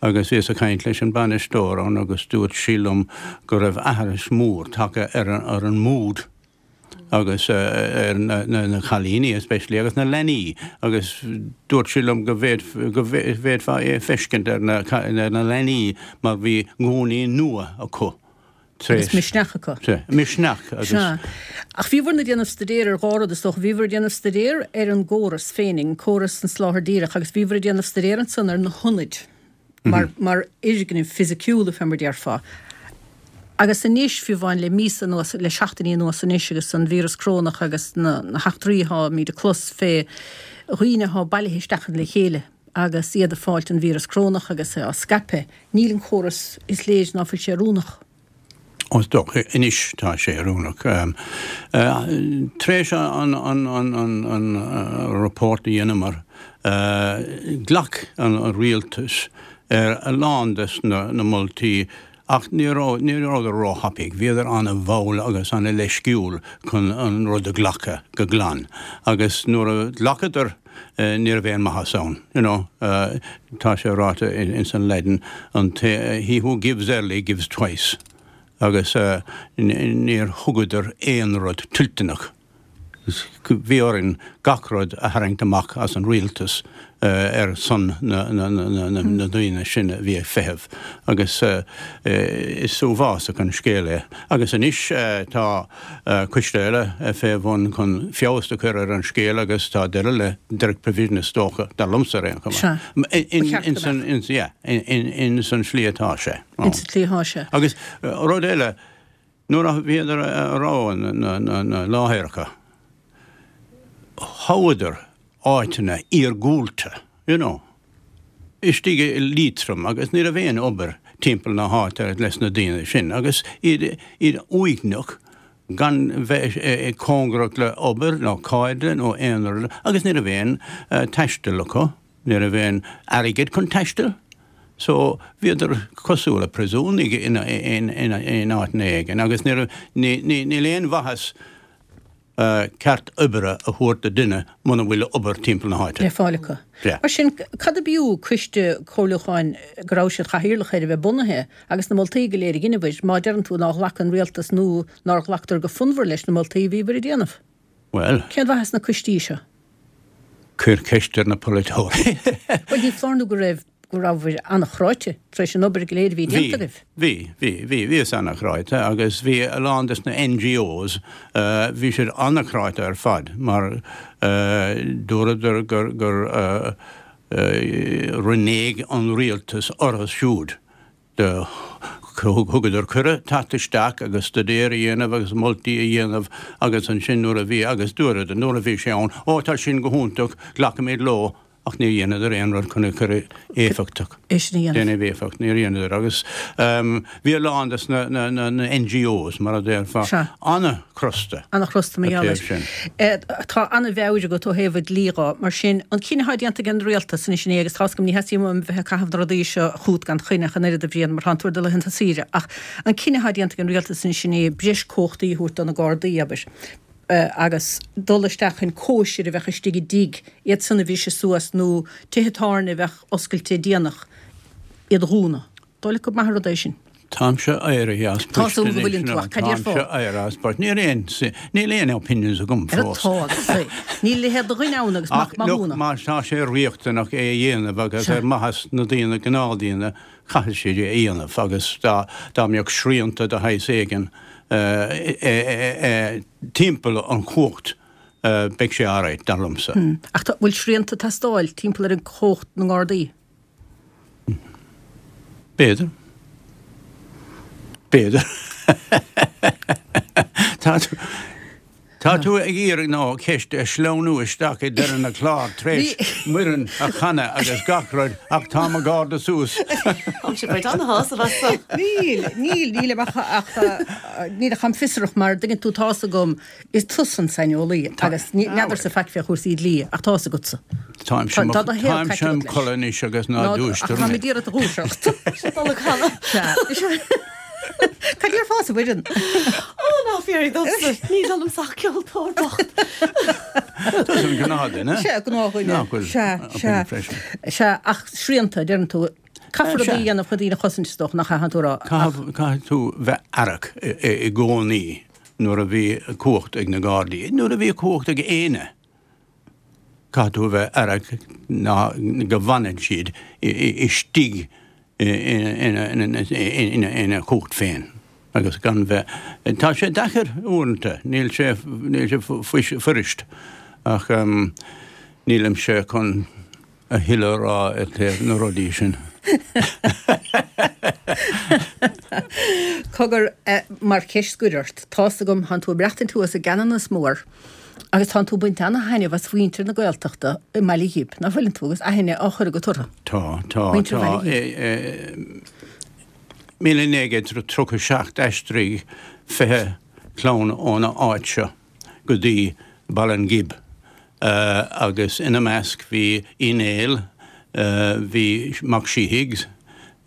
Agus bhíos ag caint leis an bainisteoir ann agus dúirt sí liom go raibh aithris mór tagtha ar an mood agus ar na cailíní especially agus na leanaí agus dúirt sí liom go bhféadfá é a feiscint ar na leanaí mar bhí gúnaí nua acu tar éis. Agus misneach acu. Sea, misneach agus. Sea. Ach bhíobhair ag déanamh staidéir ar dhá rud is dócha. Bhíobhair ag déanamh staidéir ar an gcóras féinig, an córas an tsoláthair dhírigh agus bhíobhair ag déanamh staidéir ansan ar na hionaid mar mar fhoirgnimh fisiciúla fé mar déarfá. Agus anois, fiú amháin le míosa anuas, le seachtainí anuas anois agus an víreas corónach agus na heachtraí atáimid ag clos fé dhaoine atá bailithe isteach le chéile agus iad ag fáilt an víreas corónach agus é á scaipeadh, níl an córas, is léir ná fuil sé oiriúnach. Ó, is dócha, anois tá sé oiriúnach. Tar éis an report a dheineamar, ghlac an rialtas ar a lán des na moltaí Ach ní raibh, ní rabhadar róthapaidh, bhíodar ana-mhall agus ana-leisciúil chun an rud a ghlacadh go glan. Agus nuair a ghlacadar, ní raibh aon maitheas ann, you know. Tá sé ráite ins an Laidin, an té, he who gives early gives twice. Agus níor thugadar aon rud tuillteanach. Bhí orainn gach rud a tharraingt amach as an rialtas ar son na ndaoine sin a bhí ag feitheamh agus is uafásach an scéal é. Agus anois tá coiste eile fé bhun chun feabhas a chur ar an scéal agus tá deireadh le Direct Provision is dócha, dar liomsa ar aon chuma. In san slí atá sé. In san tslí atá sé. Agus rud eile, nuair a bhíodar a rá na láithreacha, thoghadar áiteanna iargúlta, you know, istigh i Liatroim agus ní raibh aon obair timpeall na háite leis na daoine sin agus iad iad uaigneach gan bheith cóngarach le obair nó cairde nó aon rud agus ní raibh aon taisteal acu, ní raibh aon airgead chun taistil. So bhíodar cosúil le príosúnaigh in in áiteanna éigin agus ní raibh níl aon mhaitheas ceart oibre a thabhairt do duine muna bhfuil obair timpeall na háite. Le fáil acu. Mar sin, cad ab fhiú coiste comhairliúcháin go raibh siad chathaoirleach air a bheith bunaithe agus na moltaí go léir a dheineabhair, má deireann tú nár ghlac an rialtas nó nár ghlactar go fonnmhar leis na moltaí a bhíobhair ag déanamh? Bhuel. Cén mhaitheas na coistí seo? Cuir ceist ar na polaiteoirí. Bhuel, ní foláir nó go raibh go rabhabhair an-chráite tar éis an obair go léir a bhí déanta agaibh. Bhí, bhí, bhí, bhíos an-chráite agus bhí a lán des na NGOs, bhí siad an-chráite ar fad mar dúradar gur, gur rinne an rialtas orthu siúd. Do thugadar cuireadh teacht isteach agus staidéar a dhéanamh agus moltaí a dhéanamh agus ansin nuair a bhí, agus dúradar nuair a bhí sé ann, ó tá sin go hiontach, glacfaimid leo. Ach níor dheineadar aon rud chun é chur éifeachtach. É sin a dhéanamh. Déanamh éifeacht, níor dheineadar. Agus bhí a lán des na NGOs, mar a déarfá, an-chrosta. An-chrosta mar gheall air. Tá an-mheabhair agat ó thaobh an dlí dhó. Mar sin, an cinneadh atá déanta ag an rialtas anois inné, agus tá's agam ní theastaíonn uaim bheith ag caitheamh na rudaí seo chugat gan choinne ach an oiread a Bhriain, mar tánn tú ar do laethanta saoire, ach an cinneadh atá déanta ag an rialtas anois inné breis cumhachtaí a thabhairt do na Gardaí, abair, agus dul isteach chun cóisir a bheadh istigh i dtigh, iad san a bhriseadh suas, nó tithe tábhairne a bheadh oscailte déanach, iad a dhúnadh. Dóigh leat gurb maith an rud é sin? Táimse éirithe as post anois. Tá súil go bhfuileann tú, ach cad déarfá? Táimse éirithe as post. Níl aon, níl aon opinions agam fós. Tá agus é. Níl leithéid de dhuine ann agus mac mathúna. Ach má tá sé riachtanach é a dhéanamh agus ar mhaitheas na daoine, gnáthdhaoine, caithfidh siad é a dhéanamh agus dá, dá mbeadh srianta de shaghas éigin, timpeall an chumhacht beidh sé alright, dar liomsa. Ach tá, bhfuil srianta ag teastáil timpeall ar an chumhacht na nGardaí? B'fhéidir. B'fhéidir. Tá tú, tá tú ag iarraidh ná ceist a shleamhnú isteach i deireadh na clár tar éis Muireann a chanadh agus gach rud ach tá mo gharda suas. Táimse ag baint ana-shásamh as so. Níl, níl, nílim ach, ach níl ach táim fiosrach mar dtuigeann tú tá's agam is tusa an saineolaí agus ní, n'fheadarsa faic fé chúrsaí dlí ach tá's agatsa. Táimse Tá, tá do shaol táimse caite im agat leis. chodladh anois agus ná Ná, ach dúistear táim mé. ag iarraidh do dhúiseacht. Sé dul ag canadh. Sea. Cad déarfása, a Mhuireann? Ó, ná fiafraigh domsa. Níl ionam ach ceoltóir bocht. Tusa an gnáthdhuine. Sea, gnáthdhuine. Nach bhfuil Sea, sea. opinion freisin. Sea, ach srianta, deireann tú. Caithfear Sea. rudaí a dhéanamh chun daoine a chosaint, is dócha, nach ea, tú a rá. Caithfidh caithfidh tú bheith aireach i i i gcónaí nuair a bhí cumhacht ag na Gardaí, nuair a bhí cumhacht ag éinne. Caithfidh tú a bheith aireach ná go bhfanann siad istigh ina chumhacht féin agus gan bheith, tá sé deacair uaireanta, níl sé, níl sé fuirist ach nílimse chun a thuilleadh a rá i dtaobh na rudaí sin. Cogar, mar cheist scoir ort, tá's agam, tánn tú ag maireachtaint thuas i gCeanannas Mór agus tánn tú ag baint ana-thaitneamh as mhuintir na Gaeltachta i mBaile Ghib, nach bhfuileann tú, agus aithne á chur agat orthu? Tá, tá, Muintir tá. Bhaile Ghib. Míle naoi gcéad tríocha seacht d'aistrigh fiche clann óna áit seo go dtí Baile an Ghib agus ina measc bhí Uí Néill, bhí Mac Síthigh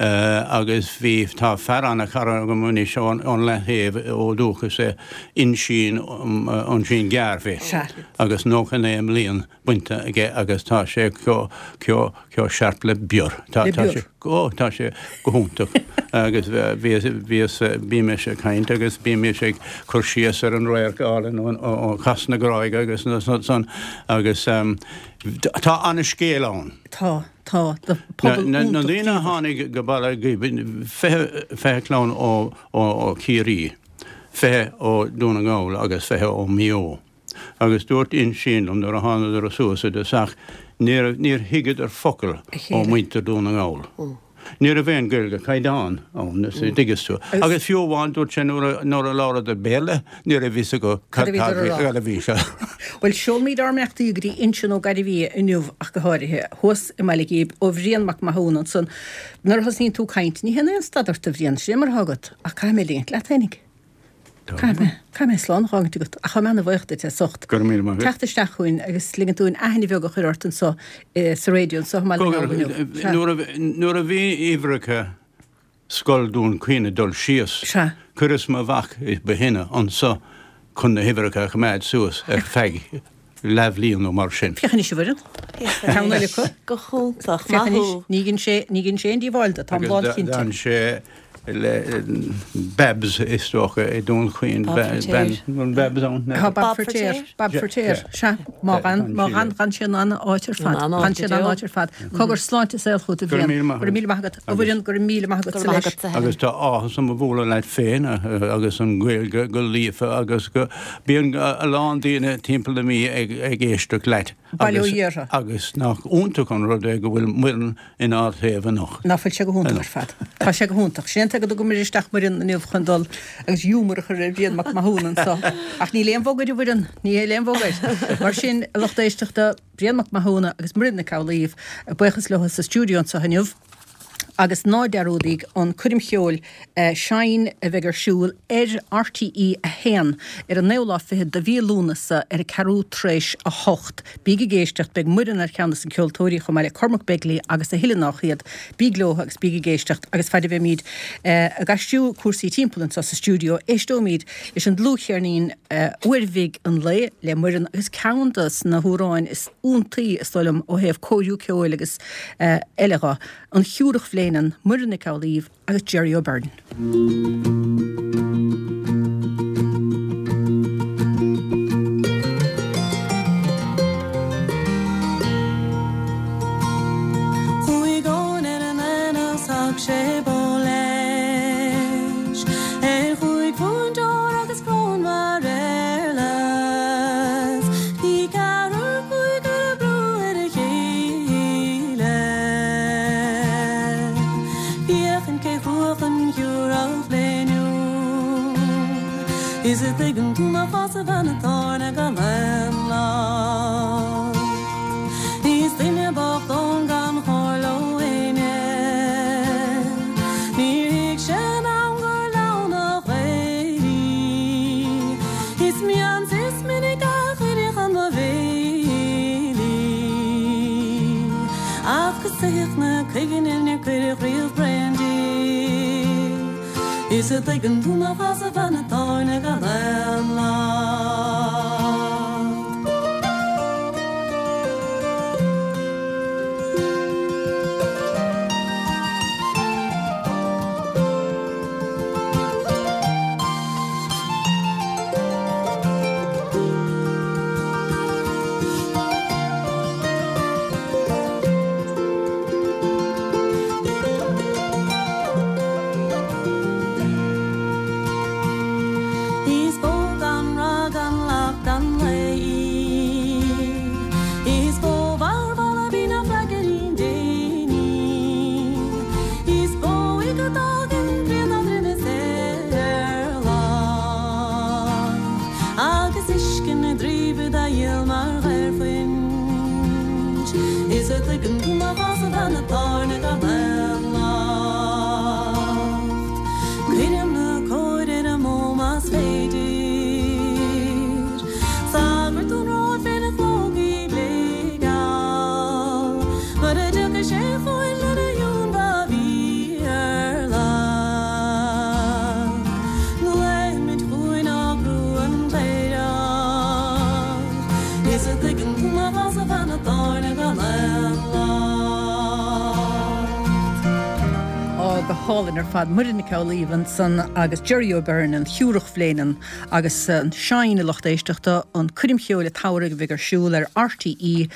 agus bhí, tá fear ana-chara agam anois ón leath-thaobh ó dúchas é, Uinsíonn, Uinsíonn Gearbhaigh agus nócha naoi mbliain bainte aige agus tá sé chomh, chomh, chomh sharp le bior. Tá, tá sé, ó, tá sé go hiontach agus bhíos, bhíos, bímis ag caint agus bímis ag cur síos ar an radharc álainn ó, ó, ó Chas na Gráige agus na, san agus Tá an-scéal ann. Tá, tá. Na daoine a tháinig go Baile Ghib, fiche clann ó ó Chiarraí, fiche ó Dún na nGall agus fiche ó Mhaigh Eo. Agus dúirt Uinsíonn liom nuair a thánadar suas i dtosach níor thuigeadar focal ó mhuintir Dún na nGall. Ní raibh aon Ghaeilge caighdeán ann, is dtuigeann tú. Agus fiú amháin dúirt sé nuair a labhradar Béarla, ní raibh fhios acu cad a bhí sé. Bhuel, seolfaimid ár mbeannachtaí go dtí Uinsionn Ó Gairbhia inniu ach go háirithe, thuas i mBaile Ghib, ó Bhrian Mac Mathúna ansan. Nuair a thosnaíonn tú ag caint, ní théann aon stad ort, a Bhriain, sin é mar atá agat, ach caithfidh mé ligint leat fhéinig. Caithfidh mé, caithfidh mé slán a fhágaint agat, ach tá mé ana-bhuíoch duit as ucht Go raibh míle maith agat. teacht isteach chugainn agus ligint dúinn aithne bheag a chur ort anso sa raidió anso i mBaile na nGall inniu. Sea. Nuair a, nuair a bhí uimhreacha Scoil Dún Chaoin ag dul síos, Sea. chuireas mo mhac ba shine anso chun na huimhreacha a choimeád suas ar feadh leathbhliain nó mar sin. Féach anois a Mhuireann. Ceann eile acu. Go hiontach. Féach Maith anois, thú. ní dhein sé, ní dhein sé aon díobháil do, táim Agus lánchinnte. d'fhan sé le Babs is dócha i Dún Chaoin, Bob bean, Feiritéar. an Babs ann? Tá Bob Bob Feiritéar, Feiritéar. Bob Feiritéar, sea. Má D'fhan ghan, má sí ghan, le. ghan sé in an-áit ar In fad. an-áit Ghan sé go in deo. an-áit ar fad. Cogar sláinte is saol chugat a Go raibh Bhriain. míle maith Go raibh míle maith agat. A Mhuireann, go raibh míle maith Go agatsa raibh maith leis. agatsa, Helen. Agus tá áthas orm a bhualadh leat féin agus an Ghaeilge go líofa agus go bíonn a lán daoine timpeall na Mí ag ag éisteacht leat. Bail ó Agus Dhia orthu. agus nach iontach an rud é go bhfuil Muireann inár dtaobh anocht. Ná fuil sé go hiontach ar fad. Tá sé go hiontach. Sin é go dtugaimid isteach Muireann inniu chun dul agus giúmar a chur ar Bhrian Mac Mathúna anso. Ach níl aon bhog air a Mhuireann, níl aon bhog air. Mar sin, a lucht éisteachta, Brian Mac Mathúna agus Muireann Nic Amhlaoibh, buíochas leo sa stiúideo anso inniu. Agus ná dearúdaigí an coirm cheoil Shine a bheidh ar siúl ar RTÉ a haon ar an naoú lá fichead de mhí Lúnasa ar a ceathrú tar éis a hocht. Bíg ag éisteacht, beidh Muireann ar cheann de na ceoltóirí chomh maith le Cormac Begley agus a thuilleadh nách iad. Bíg leo agus bíg ag éisteacht agus fad a bheimid ag aistriú cúrsaí timpeall anseo sa stiúideo, éisteoimid leis an dlúthcheirnín Uair Bhig an Lae le Muireann agus ceann de na hamhráin is iontaí is dóigh liom ó thaobh cóiriú ceoil agus eile dho, An Chiúrach Bhléineann, Muireann Nic Amhlaoibh agus Jerry O'Byrne. Chuaigh Eoin ar an aonach 's thug sé bó leis ar chúig phunt óir agus cróin mar éarlais. Bhí ceathrar cúigear ag brú ar a chéile. Féachaint cé chruach an Chiúrach Bhléiniúil. Is an dtuigeann tú nach as a bhean atá gan aon locht. Is duine bocht ann gan chomhairle ó éinne. Níor thuig sé in am gur leamhnach é. Is mian is minic a chuireadh chun mo bhéil í. Ach go saoth na cuiginne níor cuireadh riamh braon di. Is an dtuigeann tú nach as a bhean atá gan aon locht. Is bó gan rag hálainn ar fad Muireann Nic Amhlaoibh ansan agus Jerry O'Byrne an Shiúrach Bhléineann agus an Shine a lucht éisteachta an coirm cheoil an tsamhraidh a bheidh ar siúl ar RTÉ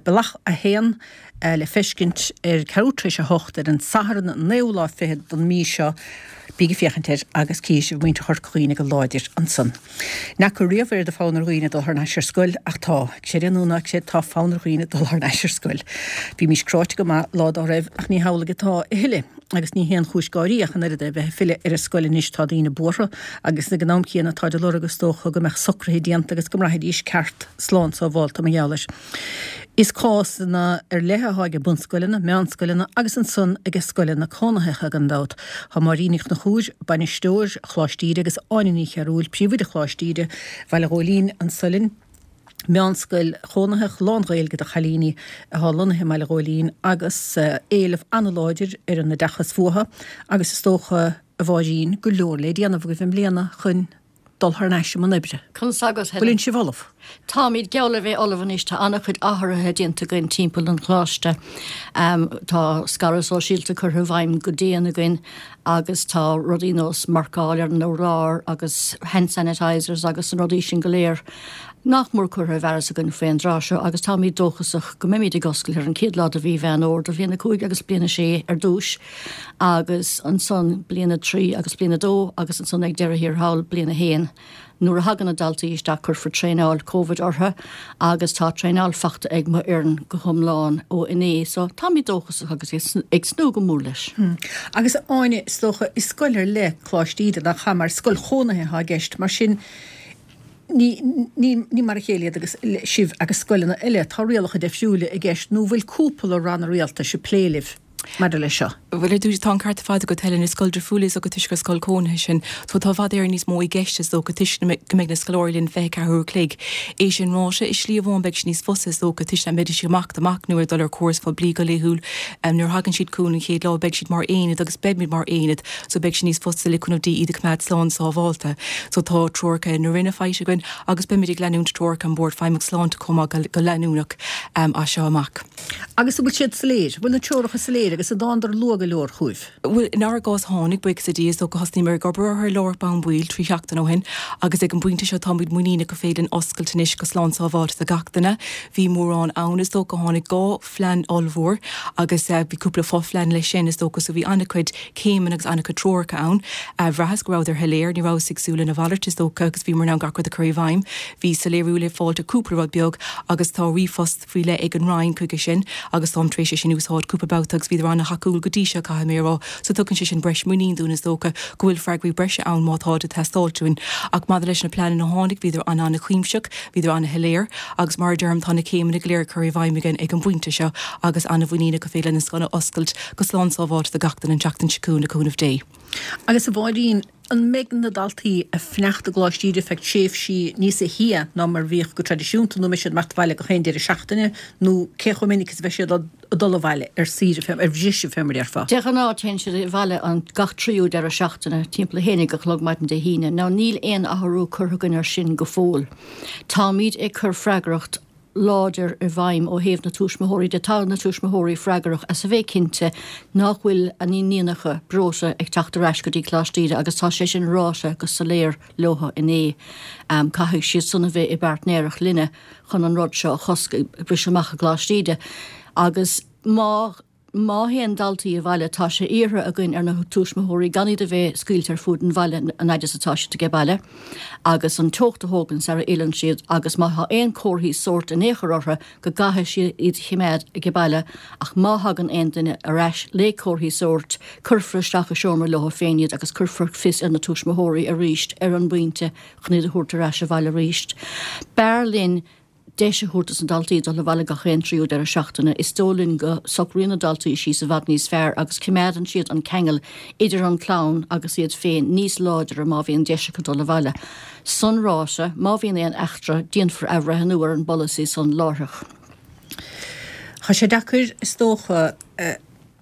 Bealach a haon le feiscint ar ceathrú tar éis a hocht ar an Satharn an naoú lá fichead den mí seo. Bígí ag féachaint air agus cífidh sibh muintir Chorca Dhuibhne go láidir ansan. N'fheacar riamh oiread de fonn ar dhaoine dul thar n-ais ar scoil ach tá, creid é nó ná creid, tá fonn ar dhaoine dul thar n-ais ar scoil. Bhímís cráite go maith lá dá raibh ach ní hamhlaidh atá a thuilleadh. Agus ní haon chúis gáirí ach an oiread é bheith ag filleadh ar an scoil anois tá daoine buartha agus ag an am céanna táid ag lorg is dócha go mbeadh socruithe déanta agus go mbraithfidís ceart slán sábhálta mar gheall air. Is cásanna ar leith atá ag bunscoileanna, meánscoileanna agus ansan ag scoileanna cónaitheacha gan dabht. Tá Máirín Ní Chonchúir, bainisteoir Choláiste Íde agus Áine Ní Chearúil, príomhoide Choláiste Íde, Bhaile Ghóilín, anso linn. Meánscoil chónaitheach lán-Ghaeilge do chailíní atá lonnaithe i mBaile Ghóilín agus éileamh an-láidir ar an oideachas fúthu agus is dócha, a Mháirín, go leor le déanamh agaibh i mbliana chun dul thar n-ais i mbun oibre. Conas agat, Helen? Bhfuil sibh ullamh? Táimid geall le bheith ullamh anois. Tá an-chuid athruithe déanta againn timpeall an choláiste. Tá scaradh sóisialta curtha i bhfeidhm go dian againn agus tá rudaí nós marcáil ar an urlár agus hand sanitisers agus na rudaí sin go léir nach mór curtha i bhfearas againn faoin dtráth seo agus táimid dóchasach go mbeimid ag oscailt ar an chéad lá de mhí Mheán Fhómhair do bhliain a cúig agus bliain a sé ar dtús agus ansan bliain a trí agus bliain a dó agus ansan ag deireadh thiar thall bliain a haon. Nuair a thagann na daltaí isteach cuirfear traenáil Covid orthu agus tá traenáil fachta ag mo fhoireann go hiomlán ó inné so táimid dóchasach agus ag tnúth go mór leis. Agus Áine, is dócha, is scoil ar leith Coláiste Íde nach ea mar scoil chónaithe atá i gceist, mar sin ní ní mar a chéile iad agus sibh agus scoileanna eile, tá rialacha difriúla i gceist nó bhfuil cúpla ranna rialtais ag plé libh maidir leis seo? Bhuel, ar dtús, tá an ceart ar fad agat, Helen, is scoil difriúil is dócha toisc gur scoil cónaithe sinn. So tá i bhfad Éireann níos mó i gceist is dócha toisc go mbeidh na scoláirí linn fiche ceathair uair a chloig. É sin ráite, i slí amháin beidh sé níos fusa is dócha toisc nach mbeidís ag imeacht amach nó ag dul ar córas phoiblí go laethúil. Nuair a thagann siad chugainn an chéad lá beidh siad mar aonad agus beimid mar aonad so beidh sé níos fusa le cúnamh Dé iad a choimeád slán sábhálta. So tá treoracha na Roinne faighte againn agus beimid ag leanúint treoracha an Bord Feidhmeach Sláinte chomh maith go leanúnach as seo amach. Agus an bhfuil siad soiléir? Bhfuil na treoracha soiléir agus an dtánadar luath go leor chugaibh? Bhuel, inár gcás tháinig, buíochas le Dia, is dócha thosnaíomar ag obair orthu láithreach bonn baill trí sheachtain ó shin agus ag an bpointe seo táimid muiníneach go féidir linn oscailt anois go slán sábháilte do gach duine. Bhí mórán ann, is dócha, tháinig dhá phlean ollmhór agus bhí cúpla fo-phlean leis sin, is dócha, so bhí an-chuid céimeanna agus an-chuid treoracha ann. Bhraitheas go rabhadar shoiléir, ní rabhas ag súil lena mhalairt, is dócha, agus bhíomar in ann gach rud a chur i bhfeidhm. Bhí soiléiriú le fáilt ar cúpla rud beag agus tá ríomhphost faoi leith ag an Roinn chuige sin agus táim tar éis é sin a úsáid cúpla babhta agus bhíodar an-thacúil go dtí seo, caithfidh mé a rá. So tugann sé sin breis muinín dúinn is dócha go bhfuil freagraí breise ann má táid ag teastáilt uainn. Ach maidir leis na pleananna a tháinig, bhíodar an-an-chuimsitheach, bhíodar an-shoiléir agus mar a deirim tá na céimeanna go léir curtha i bhfeidhm againn ag an bpointe seo agus an-mhuiníneach go féidir linn an scoil a oscailt go slán sábháilte do gach duine an tseachtain seo chugainn le cúnamh Dé. Agus a Mháirín, an mbeidh na daltaí ag fanacht i gColáiste Íde feadh tréimhsí níos sia ná mar a bhíodh go traidisiúnta nó an mbeidh siad ag imeacht abhaile gach aon deireadh seachtaine nó cé chomh minic is a bheidh siad ag dul abhaile ar saoire fé, ar bhriseadh fé mar a déarfá? De ghnáth téann siad abhaile an gach tríú deireadh seachtaine, timpeall a haon déag a chlog maidin Dé hAoine. Now níl aon athrú curtha againn air sin go fóill. Táimid ag cur freagracht láidir i bhfeidhm ó thaobh na tuismitheoirí de. Tá na tuismitheoirí freagrach as a bheith cinnte nach bhfuil a n-iníonacha breoite ag teacht ar ais go dtí Coláiste Íde agus tá sé sin ráite go soiléir leo inné. Caithfidh siad san a bheith i bpairtnéireacht linne chun an rud seo a chosc ag briseadh amach i gColáiste Íde agus má Má théann daltaí abhaile, tá sé iarrtha againn ar na tuismitheoirí gan iad a bheith scaoilte ar fuaid an bhaile an fhaid is atá siad age baile agus an teocht a thógaint sara fhilleann siad agus má tá aon comharthaí sóirt in aon chor orthu go gcaithfidh siad iad a chimeád age baile ach má thagann aon duine ar ais le comharthaí sóirt cuirfear isteach i seomra leo féin iad agus cuirfear fios ar na tuismitheoirí arís ar an bpointe chun iad a thabhairt ar ais abhaile arís. B'fhearr linn deis a thabhairt dos na daltaí dul abhaile gach aon tríú deireadh seachtaine. Is dóigh linn go socraíonn na daltaí síos i bhfad níos fearr agus coimeádann siad an ceangal idir an clann agus iad féin níos láidre má bhíonn deis acu dul abhaile. San ráite, má bhíonn aon eachtra, déanfar athbhreithniú ar an bpolasaí san láithreach. Tá sé deacair, is dócha.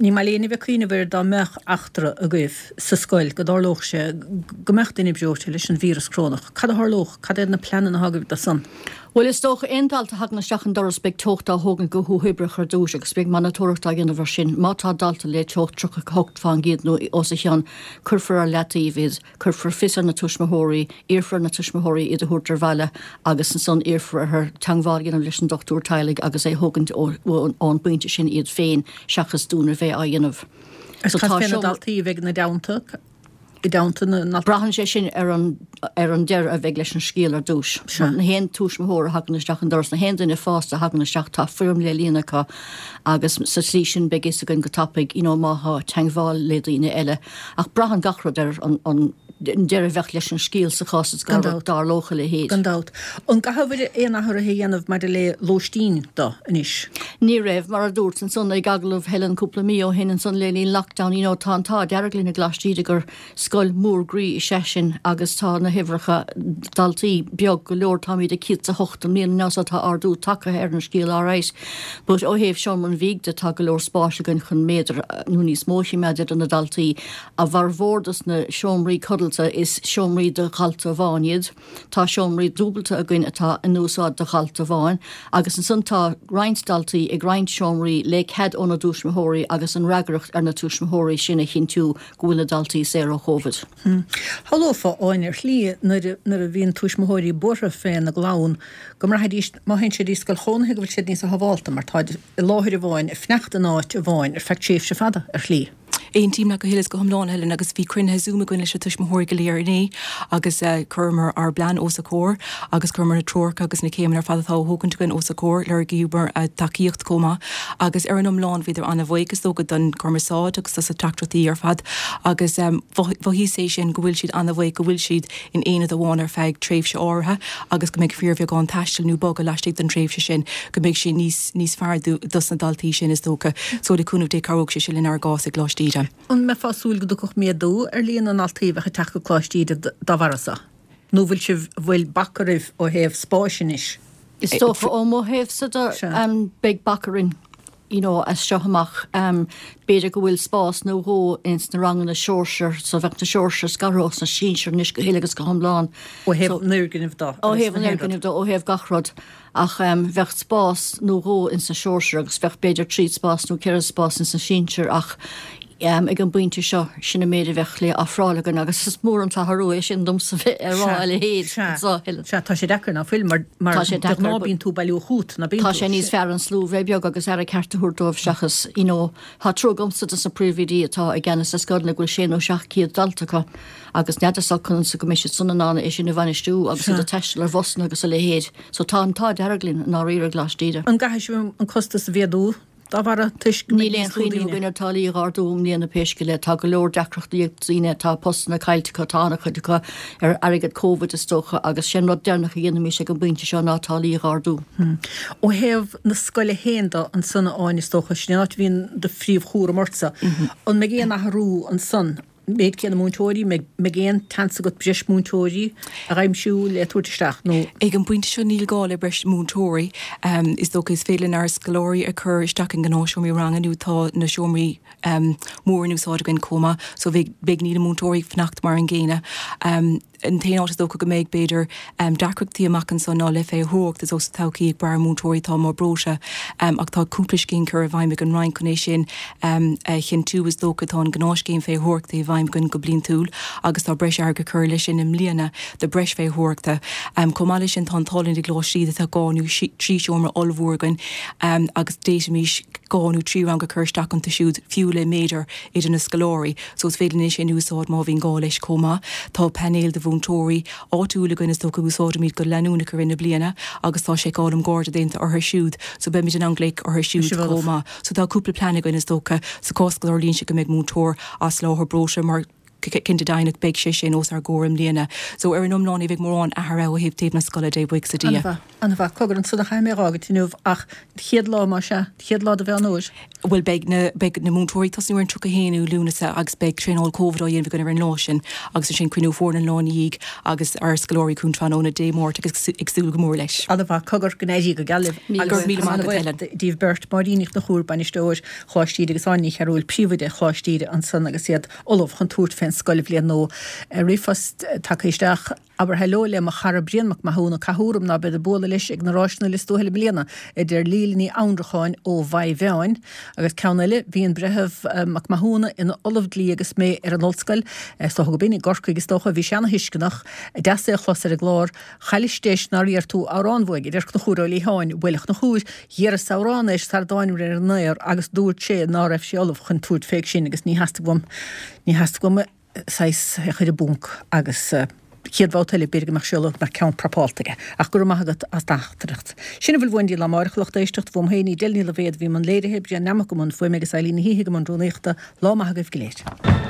Ní maith le éinne a bheith ag cuimhneamh air dá mbeadh eachtra agaibh sa scoil, go dtarlódh sé go mbeadh duine breoite leis an víreas corónach. Cad a tharlódh? Cad iad na pleananna atá agaibh dó san? Bhuel, is dócha aon dalta a thagann isteach an doras beidh teocht á thógaint go huathoibríoch ar dtús agus beidh monatóireacht á dhéanamh air sin. Má tá dalta le teocht tríocha a hocht fán gcéad nó os a chionn, cuirfear ar leataobh iad, cuirfear fios ar na tuismitheoirí, iarrfar ar na tuismitheoirí iad a thabhairt ar bhaile agus ansan iarrfar orthu teagmháil a dhéanamh leis an dochtúir teaghlaigh agus é a thógaint ón bpointe sin iad féin seachas dúinn a bheith á dhéanamh. Agus cad fé na daltaí a bheidh ina dteannta? i dteannta na ndaltaí. Braitheann sé sin ar an ar an deireadh a bheidh leis an scéal ar dtús. Sea. Na haon tuismitheoir a thagann isteach an doras, na haon duine fásta a thagann isteach, tá foirm le líonadh acu agus sa tslí sin beidh fhios againn go tapaidh you know má thá teagmháil le daoine eile. Ach braitheann gach rud ar an an deireadh a bheadh leis an scéal sa chás is Gan go dabht. dtarlódh a leithéid. Gan dabht. An gcaithfear aon athruithe a dhéanamh maidir le lóistín do anois? Ní raibh, mar a dúrt ansan ag agallamh Helen cúpla mí ó shin ansan le linn lockdown, you know, tá an t-ádh dearg linn i gColáiste Íde gur scoil mhór groí is ea sinn agus tá na huimhreacha daltaí beag go leor, táimid ag céad is a hocht i mbliana now so tá ardú tagtha ar an scéal alright. But ó thaobh seomra an bhídh de tá go leor spáis againn chun méadar nó níos mó a choimeád idir na daltaí. A bhformhór dos na seomraí codlata is seomraí do dhalta amháin iad. Tá seomraí dúbailte againn atá in úsáid do dhalta amháin agus ansan tá roinnt daltaí ag roinnt seomraí le cead óna dtuismitheoirí agus an fhreagracht ar na tuismitheoirí sin a chinntiú go bhfuil na daltaí saor ó Covid. Shamhlófá, Áine, ar shlí nuair nuair a bhíonn tuismitheoirí buartha féna gclann go mbraithfidís má théann siad i scoil chónaithe go bhfuil siad níosa shábhálta mar táid i láthair amháin ag fanacht in áit amháin ar feadh tréimhse fada ar shlí. Aontaím leat go huile is go hiomlán, Helen, agus bhí cruinnithe Zoom againn leis na tuismitheoirí go léir inné agus chuireamar ár bplean os a gcomhair agus chuireamar na treoracha agus na céimeanna ar fad atá á thógaint againn os a gcomhair, lorgaíomar a dtacaíocht chomh maith agus ar an iomlán bhíodar an-bhuíoch is dócha don chumarsáid agus dos na teachtaireachtaí ar fad agus mhothaíos é sin go bhfuil siad an-bhuíoch go bhfuil siad in aonad amháin ar feadh tréimhse áirithe agus go mbeidh fíorbheagán taistil nó bogadh laistigh den tréimhse sin go mbeidh sé níos níos fearr dos na daltaí sin is dócha. So le cúnamh Dé cabhróidh sé sin lenár gcás i gColáiste Íde. An mbeifeá ag súil go dtiocfadh méadú ar líon na ndaltaí a bheadh ag teacht go Coláiste Íde dá bharra so? Nó bhfuil sibh, bhfuil bac oraibh ó thaobh spáis anois? Is dócha ó mo thaobhsa de beidh bac orainn you know as seo amach. B'fhéidir go bhfuil spás nó dhó ins na ranganna sóisear so bheadh na sóisear scartha ós na sinsir anois go huile agus go hiomlán. Ó thaobh an fhoirgnimh de. Ó thaobh an fhoirgnimh de, ó thaobh gach rud. Ach bheadh spás nó dhó ins na sóisear agus bheadh b'fhéidir trí spás nó ceithre spás ins na sinsir ach ag an bpointe seo sin an méid a bheadh le ofráil againn agus is mór an t-athrú é sin domsa bheith ag rá a leithéid. Sea, sea, tá sé deacair, ná fuil, mar, mar Tá sé de deacair, ghnáth but bíonn tú ag bailiú chugat, ná bíonn tá tú? sé níos fearr an slua bheith beag agus aire ceart a thabhairt dóibh seachas, you know, tá trua agamsa dos na príomhoidí atá i gceannas ar scoileanna go bhfuil sé nó seacht gcéad dalta acu agus n'fheadar conas go mbeidh siad san in ann é sin a bhainistiú agus iad Sea. ag taisteal ar bhusanna agus a leithéid. So tá an t-ádh dearg linn i ndáiríre i gColáiste Íde. An gcaithfidh sibh an costas a mhéadú dá bharra toisc go mbeidh Níl aon níos lú chuimhneamh daoine? againn ar táillí a dh'ardú i mbliana pé scéal é. Tá go leor deacrachtaí ag daoine, tá postanna caillte acu, tá an-chuid acu ar airgead Covid is dócha agus sé an rud deireanach a dhéanfaimis ag an bpointe seo ná táillí a dh'ardú. Ó thaobh na scoile féin de ansan, a Áine, is dócha, sin an áit a bhíonn do phríomhchúram ortsa. An mbeidh aon athrú ansan? Méid céanna múinteoirí, mbeidh aon tseans agat breis múinteoirí a aimsiú le tabhairt isteach nó? Ag an bpointe seo níl gá le breis múinteoirí. Is dócha is féidir linn ár scoláirí a chur isteach i ngnáthsheomraí ranga nó tá na seomraí móra in úsáid againn chomh maith so bheidh beidh níl na múinteoirí ag fanacht mar an gcéanna. An t-aon áit is dócha go mbeidh b'fhéidir deacrachtaí amach anso ná le féitheoireacht is dócha sa todhchaí ag brath ar mhúinteoirí atá mar breoite ach tá cúpla scéim curtha i bhfeidhm ag an Roinn chun é sin a chinntiú. Is dócha tá an gnáthscéim féitheoireachta i bhfeidhm againn go bliantúil agus tá breis airgid curtha leis sin i mbliana do breis féitheoireachta. Chomh maith leis sin tá an t-ádh linn i gColáiste Íde tá dhá nó trí seomra ollmhór againn agus d'fhéadfaimis dhá nó trí rang a chur isteach iontu siúd fiú le méadar idir na scoláirí so is féidir linn é sin a úsáid má bhíonn gá leis chomh maith. Tá painéal de mhúinteoirí áitiúil againn is dócha a úsáidimid go leanúnach i rith na bliana agus tá seiceáil um garda déanta orthu siúd so beimid in ann glaoch orthu siúd chomh maith. So tá cúpla plean againn is dócha sa chás go dtarlaíonn sé go mbeidh múinteoir as láthair breoite mar cinnte deimhneach beidh sé sin os ár gcomhair i mbliana. So ar an iomlán ní bheidh mórán athraithe ó thaobh taobh na scoile de, buíochas le Dia. An-mhaith, an-mhaith. Cogar ansan a chaithfidh mé a dh'fhágaint inniu ach chéad lá más ea, chéad lá de Mheán Fhómhair. Bhuel beidh na, beidh na múinteoirí ag tosnú ar an tríocha a haon Lúnasa agus beidh traenáil Covid á dhéanamh againn ar an lá sin agus ansin cruinniú foirne an lá ina dhiaidh agus ár scoláirí chugainn tráthnóna Dé Máirt agus ag súil go mór leis. An-mhaith. Cogar, go n-éirí go geal libh Míle agus míle maith agat an-bhuíoch Helen. díbh beirt, Máirín Ní Chonchúir, Bainisteoir Choláiste Íde agus Áine Ní Chearúil, Príomhoide Choláiste Íde ansan agus iad ullamh chun tabhairt fén an scoilbhliain nua. Ríomhphost tagtha isteach, Abair heileo le mo chara Brian Mac Mathúna, caith orm ná bead ag bualadh leis ag na ráiseanna Lios Tuathail i mbliana, a deir Líle Ní Annracháin ó Mhaigh Mheáin. Agus ceann eile, bhí an Breitheamh Mac Mathúna ina ollamh dlí agus mé ar an ollscoil, is dócha go b'in i gCorcaigh is dócha, bhí sé ana-thuisceanach, deas é a chlos ar an gclár, Chailleas deis nár iarr tú amhrán uaidh, a deir Conchúr Ó Liatháin, Bhuel a Chonchúir, dh'iarras amhrán air sara dtáinimir ar an aer agus dúirt sé ná raibh sé ullamh chun tabhairt fé sin agus ní theastaigh uaim, ní theastaigh uaim saghas é a chur i bponc agus chéad bhabhta eile b'fhéidir go mbeadh sé ullamh go mbeadh ceann prapálta aige. Ach go raibh maith agat as do theachtaireacht. Sin a bhfuil uainn go dtí lá amáireach, a lucht éisteachta, uaim féin, Edel Ní Loibhéad a bhí i mbun léirithe, Brian Nammock i mbun fuaime agus Eileen Ní hÍthigh i mbun rúnaíochta. Lá maith agaibh go léir.